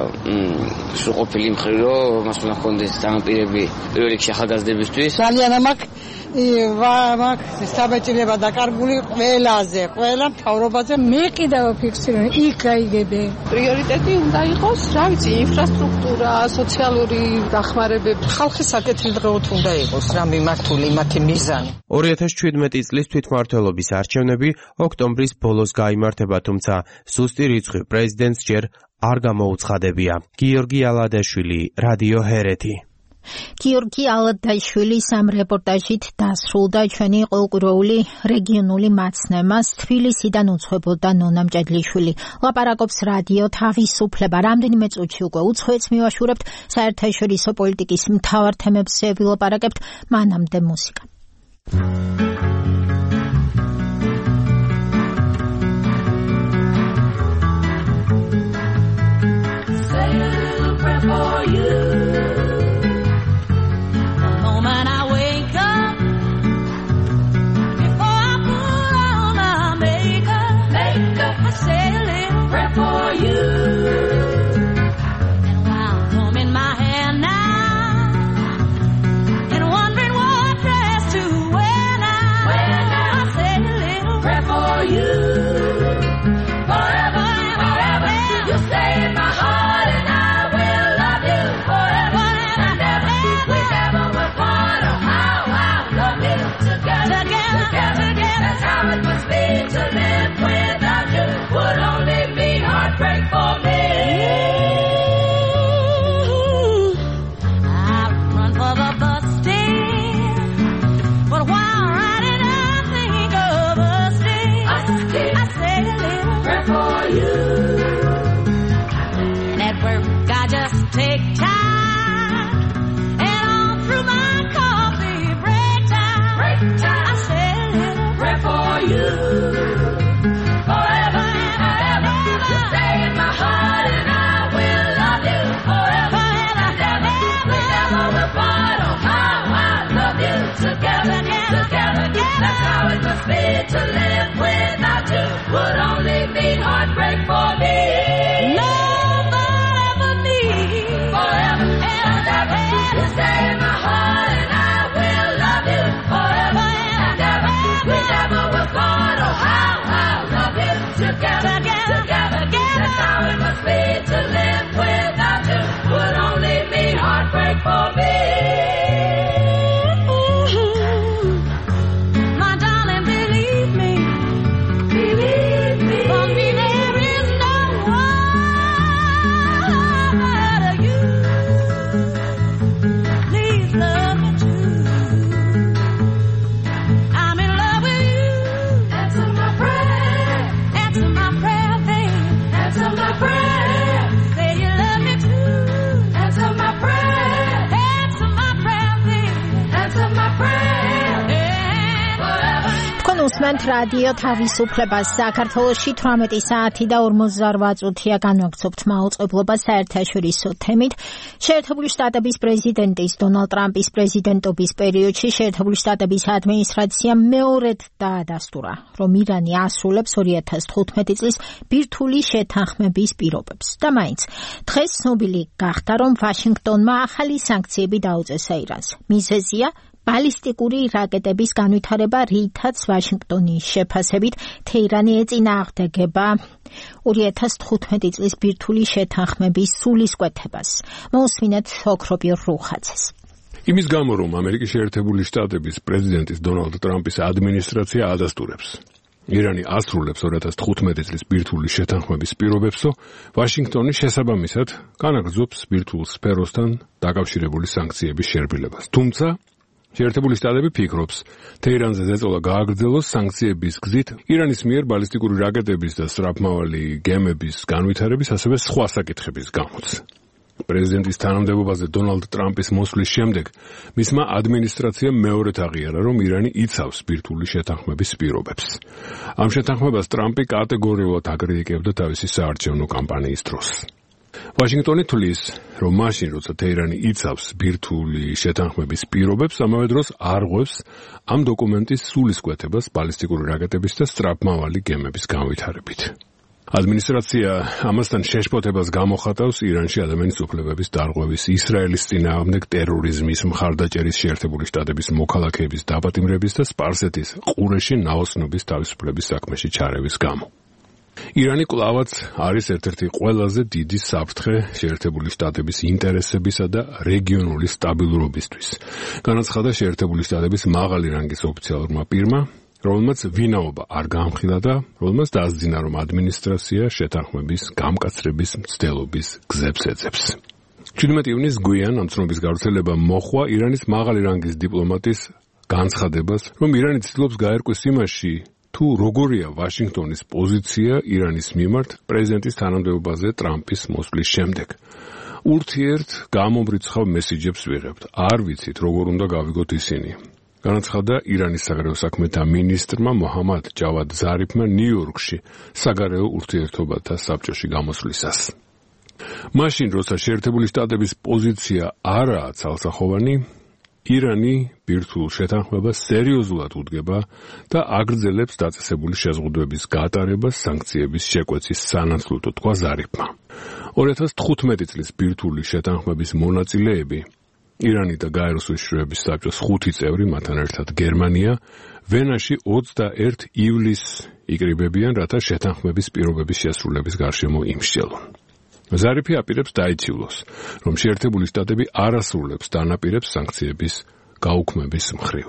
სრულყოფილი მხრივ, რომ მას უნდა ჰქონდეს დამპირები პირველ რიგში ახალგაზრდებისთვის. ძალიან მაქვს საბეჭდილება დაკარგული ყველა მთავრობაზე. მე კიდევ ვფიქსირებ, იქ გაიგებე. პრიორიტეტი უნდა იყოს, რა ვიცი, ინფრასტრუქტურა, სოციალური დახმარებები. ხალხის საკუთრი დღეოთ უნდა იყოს რა მიმართული მათი მიზანი. 2017 წლის თვითმმართველობის არჩევნები ოქტომბრის ბოლოს გაიმართება, თუმცა სუსტი რიცხვი პრეზიდენტს ჯერ არ გამოუცხადებია. გიორგი ალადაშვილი, რადიო ჰერეთი. გიორგი ალადაშვილის ამ რეპორტაჟით დასრულდა ჩვენი ყოველკვირეული რეგიონული მაცნემა. თბილისიდან უცხოებოდა ნონა მჭედლიშვილი. ლაპარაკობს რადიო თავისუფლება. რამდენიმე წუთში უკვე უცხოეთს მივაშურებთ, საერთაშორისო პოლიტიკის მთავარ თემებზე ვილაპარაკებთ, მანამდე მუსიკა. To live without you would only mean heartbreak for me. Love forever me, forever and ever. You stay in my heart and I will love you forever and ever. We never will part. Oh, how love you together. That's how it must be to live without you would only mean heartbreak for me. უსმენთ რადიო თავისუფლებას. საქართველოში 18 საათი და 48 წუთია განვაგრძობთ მაუწყებლობა საერთაშორისო თემით. შეერთებული შტატების პრეზიდენტის დონალდ ტრამპის პრეზიდენტობის პერიოდში შეერთებული შტატების ადმინისტრაციამ მეორედ დაადასტურა, რომ ირანი ასრულებს 2015 წლის ბირთვული შეთანხმების პირობებს. და მაინც დღეს ცნობილი გახდა, რომ ვაშინგტონმა ახალი სანქციები დაუწესა ირანს. მიზეზია ბალისტიკური რაკეტების განვითარება, რითაც ვაშინგტონის შეფასებით თეირანი ეწინააღმდეგება 2015 წლის ბირთვული შეთანხმების სულისკვეთებას. მოусმინეთ ოქროპირ რუხაძეს. იმის გამო, რომ ამერიკის შეერთებული შტატების პრეზიდენტის დონალდ ტრამპის ადმინისტრაცია ადასტურებს ირანი ასრულებს 2015 წლის ბირთვული შეთანხმების პირობებსო, ვაშინგტონი შესაბამისად განაგრძობს ბირთვულ სფეროსთან დაკავშირებული სანქციების შერბილებას. თუმცა შეერთებული შტატები ფიქრობს, თეირანზე ზეწოლა გააგრძელოს სანქციების გზით ირანის მიერ ბალისტიკური რაკეტების და სწრაფმავალი გემების განვითარების, ასევე სხვა საკითხების გამოც. პრეზიდენტის თანამდებობაზე დონალდ ტრამპის მოსვლის შემდეგ მისმა ადმინისტრაციამ მეორედ აღიარა, რომ ირანი იცავს ბირთვული შეთანხმების პირობებს. ამ შეთანხმებას ტრამპი კატეგორიულად აკრიტიკებდა თავისი საარჩევნო კამპანიის დროს. ვაშინგტონი თვლის, რომ მაშინ, როცა თეირანი იცავს ბირთვული შეთანხმების პირობებს, ამავე დროს არღვევს ამ დოკუმენტის სულისკვეთებას ბალისტიკური რაკეტების და სწრაფმავალი გემების განვითარებით. ადმინისტრაცია ამასთან შეშფოთებას გამოხატავს ირანში ადამიანის უფლებების დარღვევის, ისრაელის წინააღმდეგ ტერორიზმის, მხარდაჭერის, შეერთებული შტატების მოქალაქეების დაპატიმრების და სპარსეთის ყურეში ნაოსნობის თავისუფლების საქმეში ჩარევის გამო. ირანი კვლავაც არის ერთ-ერთი ყველაზე დიდი საფრთხე შეერთებული შტატების ინტერესებისა და რეგიონული სტაბილურობისთვის. განაცხადა შეერთებული შტატების მაღალი რანგის ოფიციალურმა პირმა, რომელმაც ვინაობა არ გაამხილა და რომელმაც დაასძინა, რომ ადმინისტრაცია შეთანხმების გამკაცრების მცდელობის გზებს ეძებს. 17 ივნისს გვიან ამ ცნობის გავრცელება მოჰყვა ირანის მაღალი რანგის დიპლომატის განცხადებას, რომ ირანი ცდილობს გაერკვეს იმაში, თუ როგორია ვაშინგტონის პოზიცია ირანის მიმართ პრეზიდენტის თანამდებობაზე ტრამპის მოსვლის შემდეგ. ურთიერთ გამომრიცხავ მესიჯებს ვიღებთ. არ ვიცით, როგორ უნდა გავიგოთ ისინი. განაცხადა ირანის საგარეო საქმეთა მინისტრმა მოჰამად ჯავად ზარიფმა ნიუ-იორკში საგარეო ურთიერთობათა საბჭოში გამოსვლისას. მაშინ, როცა შეერთებული შტატების პოზიცია არაა ცალსახოვანი, ირანი ბირთვულ შეთანხმებას სერიოზულად უდგება და აგრძელებს დაწესებული შეზღუდვების გატარებას სანქციების შეკვეცის სანაცვლოდ, თქვა ზარიფმა. 2015 წლის ბირთვული შეთანხმების მონაწილეები ირანი და გაეროს უშიშროების საბჭოს 5 წევრი, მათთან ერთად გერმანია, ვენაში 21 ივლისს იკრიბებიან, რათა შეთანხმების პირობების შესრულების გარშემო იმსჯელონ. ზარიფი აპირებს დაიცილოს, რომ შეერთებული შტატები არ ასრულებს დანაპირებს სანქციების გაუქმების მხრივ.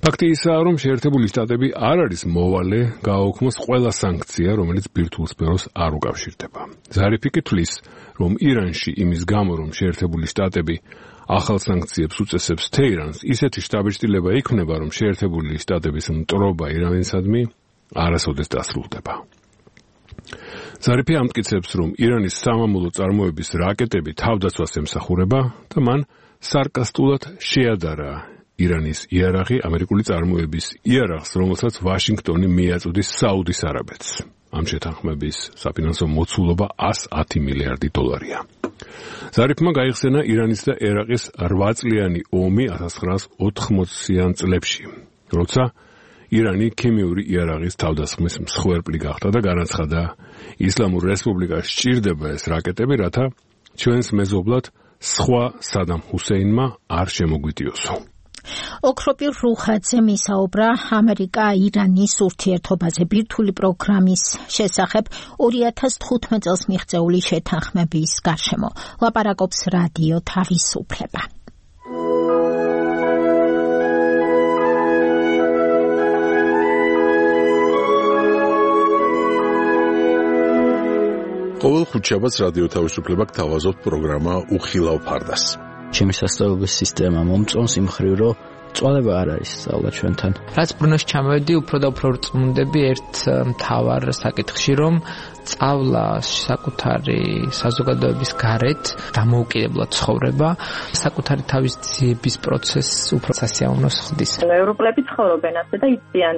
ფაქტი ისაა, რომ შეერთებული შტატები არ არის მოვალე გააუქმოს ყველა სანქცია, რომელიც ბირთვულ სფეროს არ უკავშირდება. ზარიფი კი თვლის, რომ ირანში იმის გამო, რომ შეერთებული შტატები ახალ სანქციებს უწესებს თეირანს, ისეთი შტაბ-ჩრდილება იქმნება, რომ შეერთებული შტატების მტრობა ირანისადმი არასოდეს დასრულდება. ზარიფი ამტკიცებს, რომ ირანის სამამულო წარმოების რაკეტები თავდაცვას ემსახურება და მან სარკასტულად შეადარა ირანის იარაღი ამერიკული წარმოების იარაღს, რომელსაც ვაშინგტონი მიაწვდის საუდის არაბეთს. ამ შეთანხმების საფინანსო მოცულობა 110 მილიარდი დოლარია. ზარიფმა გაიხსენა ირანის და ერაყის 8 წლიანი ომი 1980-იან წლებში, როცა ირანი ქიმიური იარაღის თავდასხმის მსხვერპლი გახდა და განაცხადა, ისლამურ რესპუბლიკას სჭირდება ეს რაკეტები, რათა ჩვენს მეზობლად სხვა სადამ ჰუსეინმა არ შემოგვიდიოსო. ოქროპირ რუხაძე მისაუბრა ამერიკა-ირანის ურთიერთობაზე ბირთვული პროგრამის შესახებ 2015 წელს მიღწეული შეთანხმების გარშემო. ლაპარაკობს რადიო თავისუფლება. ყოველ ხუთშაბათს რადიო თავისუფლება გთავაზობთ პროგრამა უხილავ ფარდას. ჩემი სასწავლებლების სისტემა მომწონს იმ მხრივ, რომ წვალება არ არის სწავლა ჩვენთან. რაც ბრუნოში ჩამოვედი, უფრო და უფრო რწმუნდები ერთ მთავარ საკითხში, რომ სწავლა საკუთარი საზოგადოების გარეთ დამოუკიდებლად ცხოვრება, საკუთარი თავის ძიების პროცესს უფრო სასიამოვნოს ხდის. ევროპელები ცხოვრობენ ასე და იციან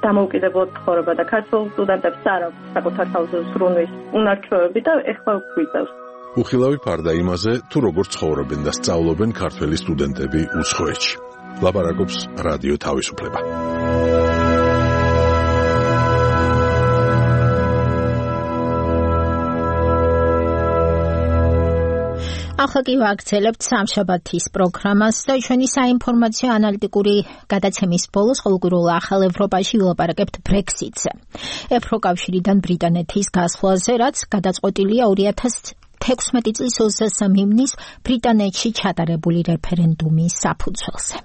დამოუკიდებლად ცხოვრება და ქართულ სტუდენტებს არ აქვს საკუთარ თავზე ზრუნვის უნარჩვევები და ეხლა გვიწევს. უხილავი ფარდა იმაზე, თუ როგორ ცხოვრობენ და სწავლობენ ქართველი სტუდენტები უცხოეთში. ლაპარაკობს რადიო თავისუფლება. ახლა კი ვაგრძელებთ სამშაბათის პროგრამას და ჩვენი საინფორმაციო ანალიტიკური გადაცემის ბოლოს ყოველკვირულ ახალ ევროპაში ვილაპარაკებთ ბრექსიტზე. ევროკავშირიდან ბრიტანეთის გასვლაზე, რაც გადაწყვეტილია 2016 წლის 23 ივნისს ბრიტანეთში ჩატარებული რეფერენდუმის საფუძველზე.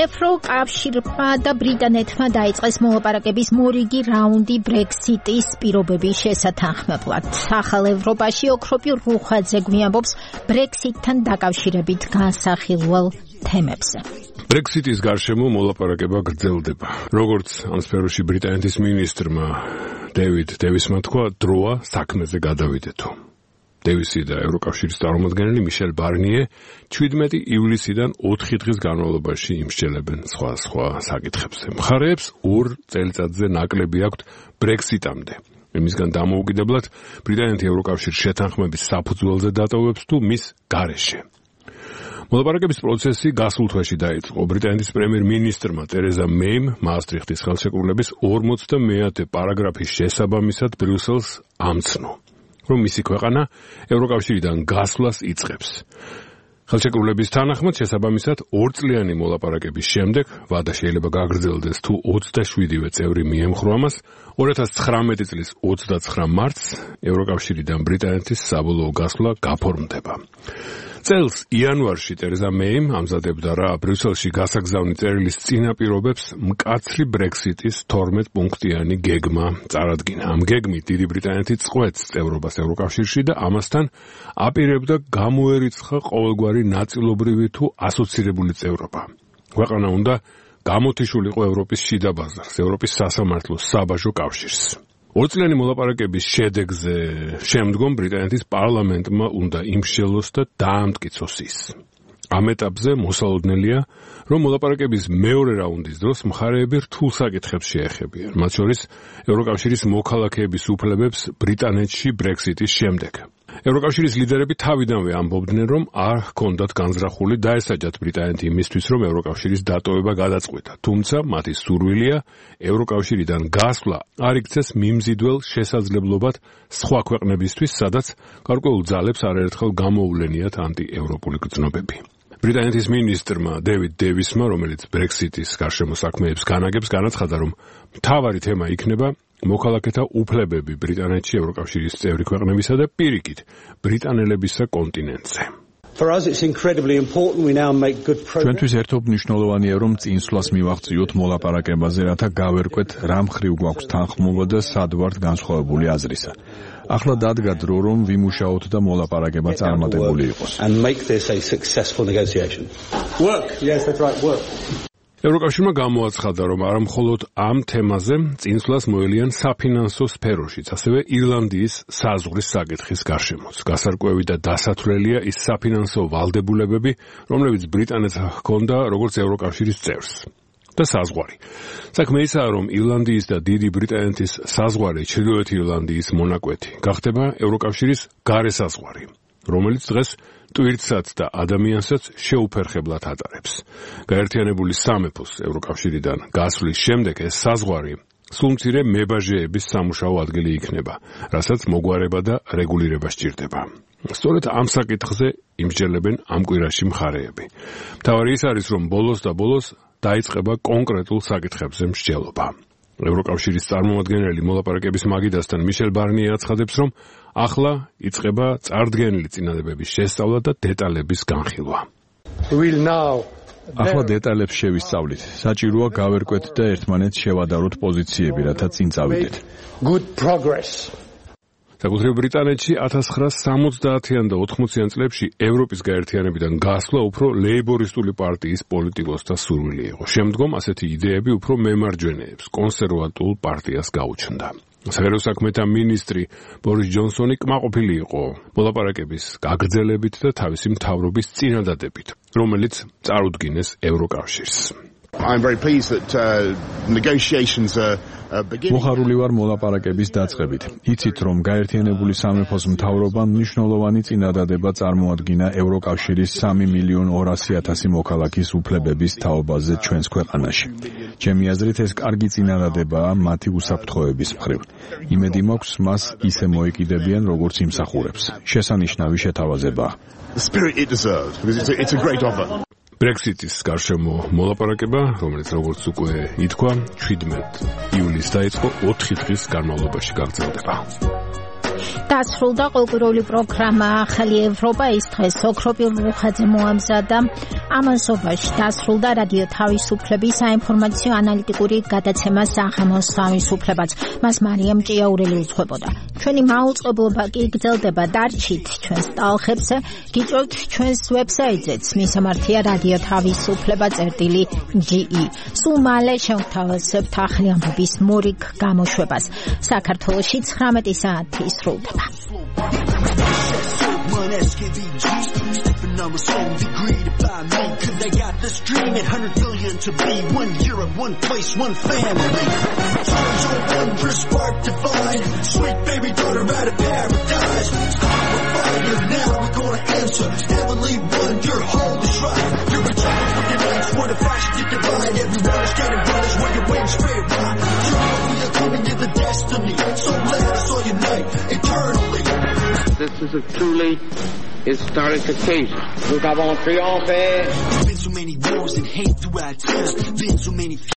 ვფიქრობ, რომ კავშირმა და ბრიტანეთმა დაიწყეს მოლაპარაკების მორიგი რაუნდი ბრექსიტის პირობების შესათანხმებლად. ახალ ევროპაში ოქროპი რუხაძე გვიამბობს ბრექსიტთან დაკავშირებით განსახილველ თემებზე. ბრექსიტის გარშემო მოლაპარაკება გრძელდება. როგორც ამ სფეროში ბრიტანეთის მინისტრმა დევიდ დევისმა თქვა, დროა საქმეზე გადავიდეთო. დევისი და ევროკავშირის წარმომადგენელი მიშელ ბარნიე 17 ივლისიდან 4 დღის განმავლობაში იმსჯელებენ სხვა საკითხებზე. მხარეებს 2 წელიწადზე ნაკლები აქვთ ბრექსიტამდე. იმისგან დამოუკიდებლად ბრიტანეთი ევროკავშირის შეთანხმების საფუძველზე დატოვებს თუ მის გარეშე. მოლაპარაკების პროცესი გასულ თვეში დაიწყო. ბრიტანეთის პრემიერ-მინისტრმა ტერეზა მეიმ მაასტრიხტის ხელშეკრულების 50-მე პარაგრაფის შესაბამისად ბრიუსელს ამცნო, რომ მისი ქვეყანა ევროკავშირიდან გასვლას იწყებს. ხელშეკრულების თანახმად შესაბამისად 2 წლიანი მოლაპარაკების შემდეგ ვადა შეიძლება გაგრძელდეს თუ 27-ვე წევრი მიემხრო ამას. 2019 წლის 29 მარტს ევროკავშირიდან ბრიტანეთის საბოლოო გასვლა გაფორმდება. წელს იანვარში ტერეზა მეიმ ამზადებდა რა ბრიუსელში გასაგზავნი წერილის წინაპირობებს მკაცრი ბრექსიტის 12 პუნქტიანი გეგმა წარადგინა. ამ გეგმით დიდი ბრიტანეთი წყვეტს წევრობას ევროკავშირში და ამასთან აპირებდა გამოერიცხა ყოველგვარი ნაწილობრივი თუ ასოცირებული წევრობა. ქვეყანა უნდა გამოთიშულიყო ევროპის შიდა ბაზარს, ევროპის სასამართლოს, საბაჟო კავშირს. 2 წლიანი მოლაპარაკების შედეგზე შემდგომ ბრიტანეთის პარლამენტმა უნდა იმსჯელოს და დაამტკიცოს ის. ამ ეტაპზე მოსალოდნელია, რომ მოლაპარაკების მეორე რაუნდის დროს მხარეები რთულ საკითხებს შეეხებიან, მათ შორის ევროკავშირის მოქალაქეების უფლებებს ბრიტანეთში ბრექსიტის შემდეგ. ევროკავშირის ლიდერები თავიდანვე ამბობდნენ, რომ არ ჰქონდათ განზრახული დაესაჯათ ბრიტანეთი იმისთვის, რომ ევროკავშირის დატოვება გადაწყვიტა. თუმცა მათი სურვილია ევროკავშირიდან გასვლა არ იქცეს მიმზიდველ შესაძლებლობად სხვა ქვეყნებისთვის, სადაც გარკვეულ ძალებს არაერთხელ გამოუვლენიათ ანტიევროპული გრძნობები. ბრიტანეთის მინისტრმა დევიდ დევისმა, რომელიც ბრექსიტის გარშემო საქმეებს განაგებს, განაცხადა, რომ მთავარი თემა იქნება მოქალაქეთა უფლებები ბრიტანეთში ევროკავშირის წევრი ქვეყნებისა და პირიქით ბრიტანელებისა კონტინენტზე. ჩვენთვის ერთობ მნიშვნელოვანია, რომ წინსვლას მივაღწიოთ მოლაპარაკებაზე, რათა გავერკვეთ რა მხრივ გვაქვს თანხმობა და სად ვართ განსხვავებული აზრისა. ახლა დადგა დრო, რომ ვიმუშაოთ და მოლაპარაკება წარმატებული იყოს. ევროკავშირმა გამოაცხადა, რომ არა მხოლოდ ამ თემაზე წინსვლას მოელიან საფინანსო სფეროშიც, ასევე ირლანდიის საზღვრის საკითხის გარშემოც. გასარკვევი და დასათვლელია ის საფინანსო ვალდებულებები, რომლებიც ბრიტანეთს ჰქონდა როგორც ევროკავშირის წევრს. და საზღვარი. საქმე ისაა, რომ ირლანდიის და დიდი ბრიტანეთის საზღვარი ჩრდილოეთ ირლანდიის მონაკვეთი გახდება ევროკავშირის გარე საზღვარი, რომელიც დღეს ტვირთსაც და ადამიანსაც შეუფერხებლად ატარებს. გაერთიანებული სამეფოს ევროკავშირიდან გასვლის შემდეგ ეს საზღვარი სულ მცირე მებაჟეების სამუშაო ადგილი იქნება, რასაც მოგვარება და რეგულირება სჭირდება. სწორედ ამ საკითხზე იმსჯელებენ ამ კვირაში მხარეები. მთავარი ის არის, რომ ბოლოს და ბოლოს დაიწყება კონკრეტულ საკითხებზე მსჯელობა. ევროკავშირის წარმომადგენელი მოლაპარაკების მაგიდასთან მიშელ ბარნიე აცხადებს, რომ ახლა იწყება წარდგენილი წინადადების შესწავლა და დეტალების განხილვა. ახლა დეტალებს შევისწავლით. საჭიროა გავერკვეთ და ერთმანეთს შევადაროთ პოზიციები, რათა წინ წავიდეთ. საკუთრივ ბრიტანეთში 1970-იან და 80-იან წლებში ევროპის გაერთიანებიდან გასვლა უფრო ლეიბორისტული პარტიის პოლიტიკოსთა სურვილი იყო. შემდგომ ასეთი იდეები უფრო მემარჯვენეებს, კონსერვატულ პარტიას გაუჩნდა. საგარეო საქმეთა მინისტრი ბორის ჯონსონი კმაყოფილი იყო მოლაპარაკების გაგრძელებით და თავისი მთავრობის წინადადებით, რომელიც წარუდგინეს ევროკავშირს. მოხარული ვარ მოლაპარაკების დაწყებით. იცით, რომ გაერთიანებული სამეფოს მთავრობამ მნიშვნელოვანი წინადადება წარმოადგინა ევროკავშირის 3.200.000 მოქალაქის უფლებების თაობაზე ჩვენს ქვეყანაში. ჩემი აზრით, ეს კარგი წინადადებაა მათი უსაფრთხოების მხრივ. იმედი მაქვს, მას ისე მოეკიდებიან, როგორც იმსახურებს. შესანიშნავი შეთავაზებაა. ბრექსიტის გარშემო მოლაპარაკება, რომელიც როგორც უკვე ითქვა, 17 ივლისს დაიწყო 4 დღის განმავლობაში გაგრძელდება. დასრულდა ყოველკვირეული პროგრამა ახალი ევროპა ის დღეს ოქროპირ რუხაძე მოამზადა ამასობაში დასრულდა რადიო თავისუფლების საინფორმაციო ანალიტიკური გადაცემა საღამოს თავისუფლებაც მას მარიამ ჭიაურელი უძღვებოდა ჩვენი მაუწყებლობა კი გრძელდება დარჩით ჩვენს ტალხებზე გიწევთ ჩვენს ვებსაიტზეც მისამართია რადიო თავისუფლება.ge სულ მალე შევთავაზებთ ახალი ამბების მორიგ გამოშვებას საქართველოში 19 საათი სრულდება numbers home degree to buy me cause they got this dream at 100 billion to be 1 Europe, 1 place, 1 family Times are wondrous, spark divine Sweet baby daughter out of paradise Stop the fire, now we're gonna answer Heavenly one, your hold is right You're a child with your legs, what a fashion to divine Everyone is getting brothers where your wings straight right You know we are coming to the destiny So let us all unite eternally This is a truly historic occasion. Nous avons triomphé. Been so many wars and hate throughout time. Been so many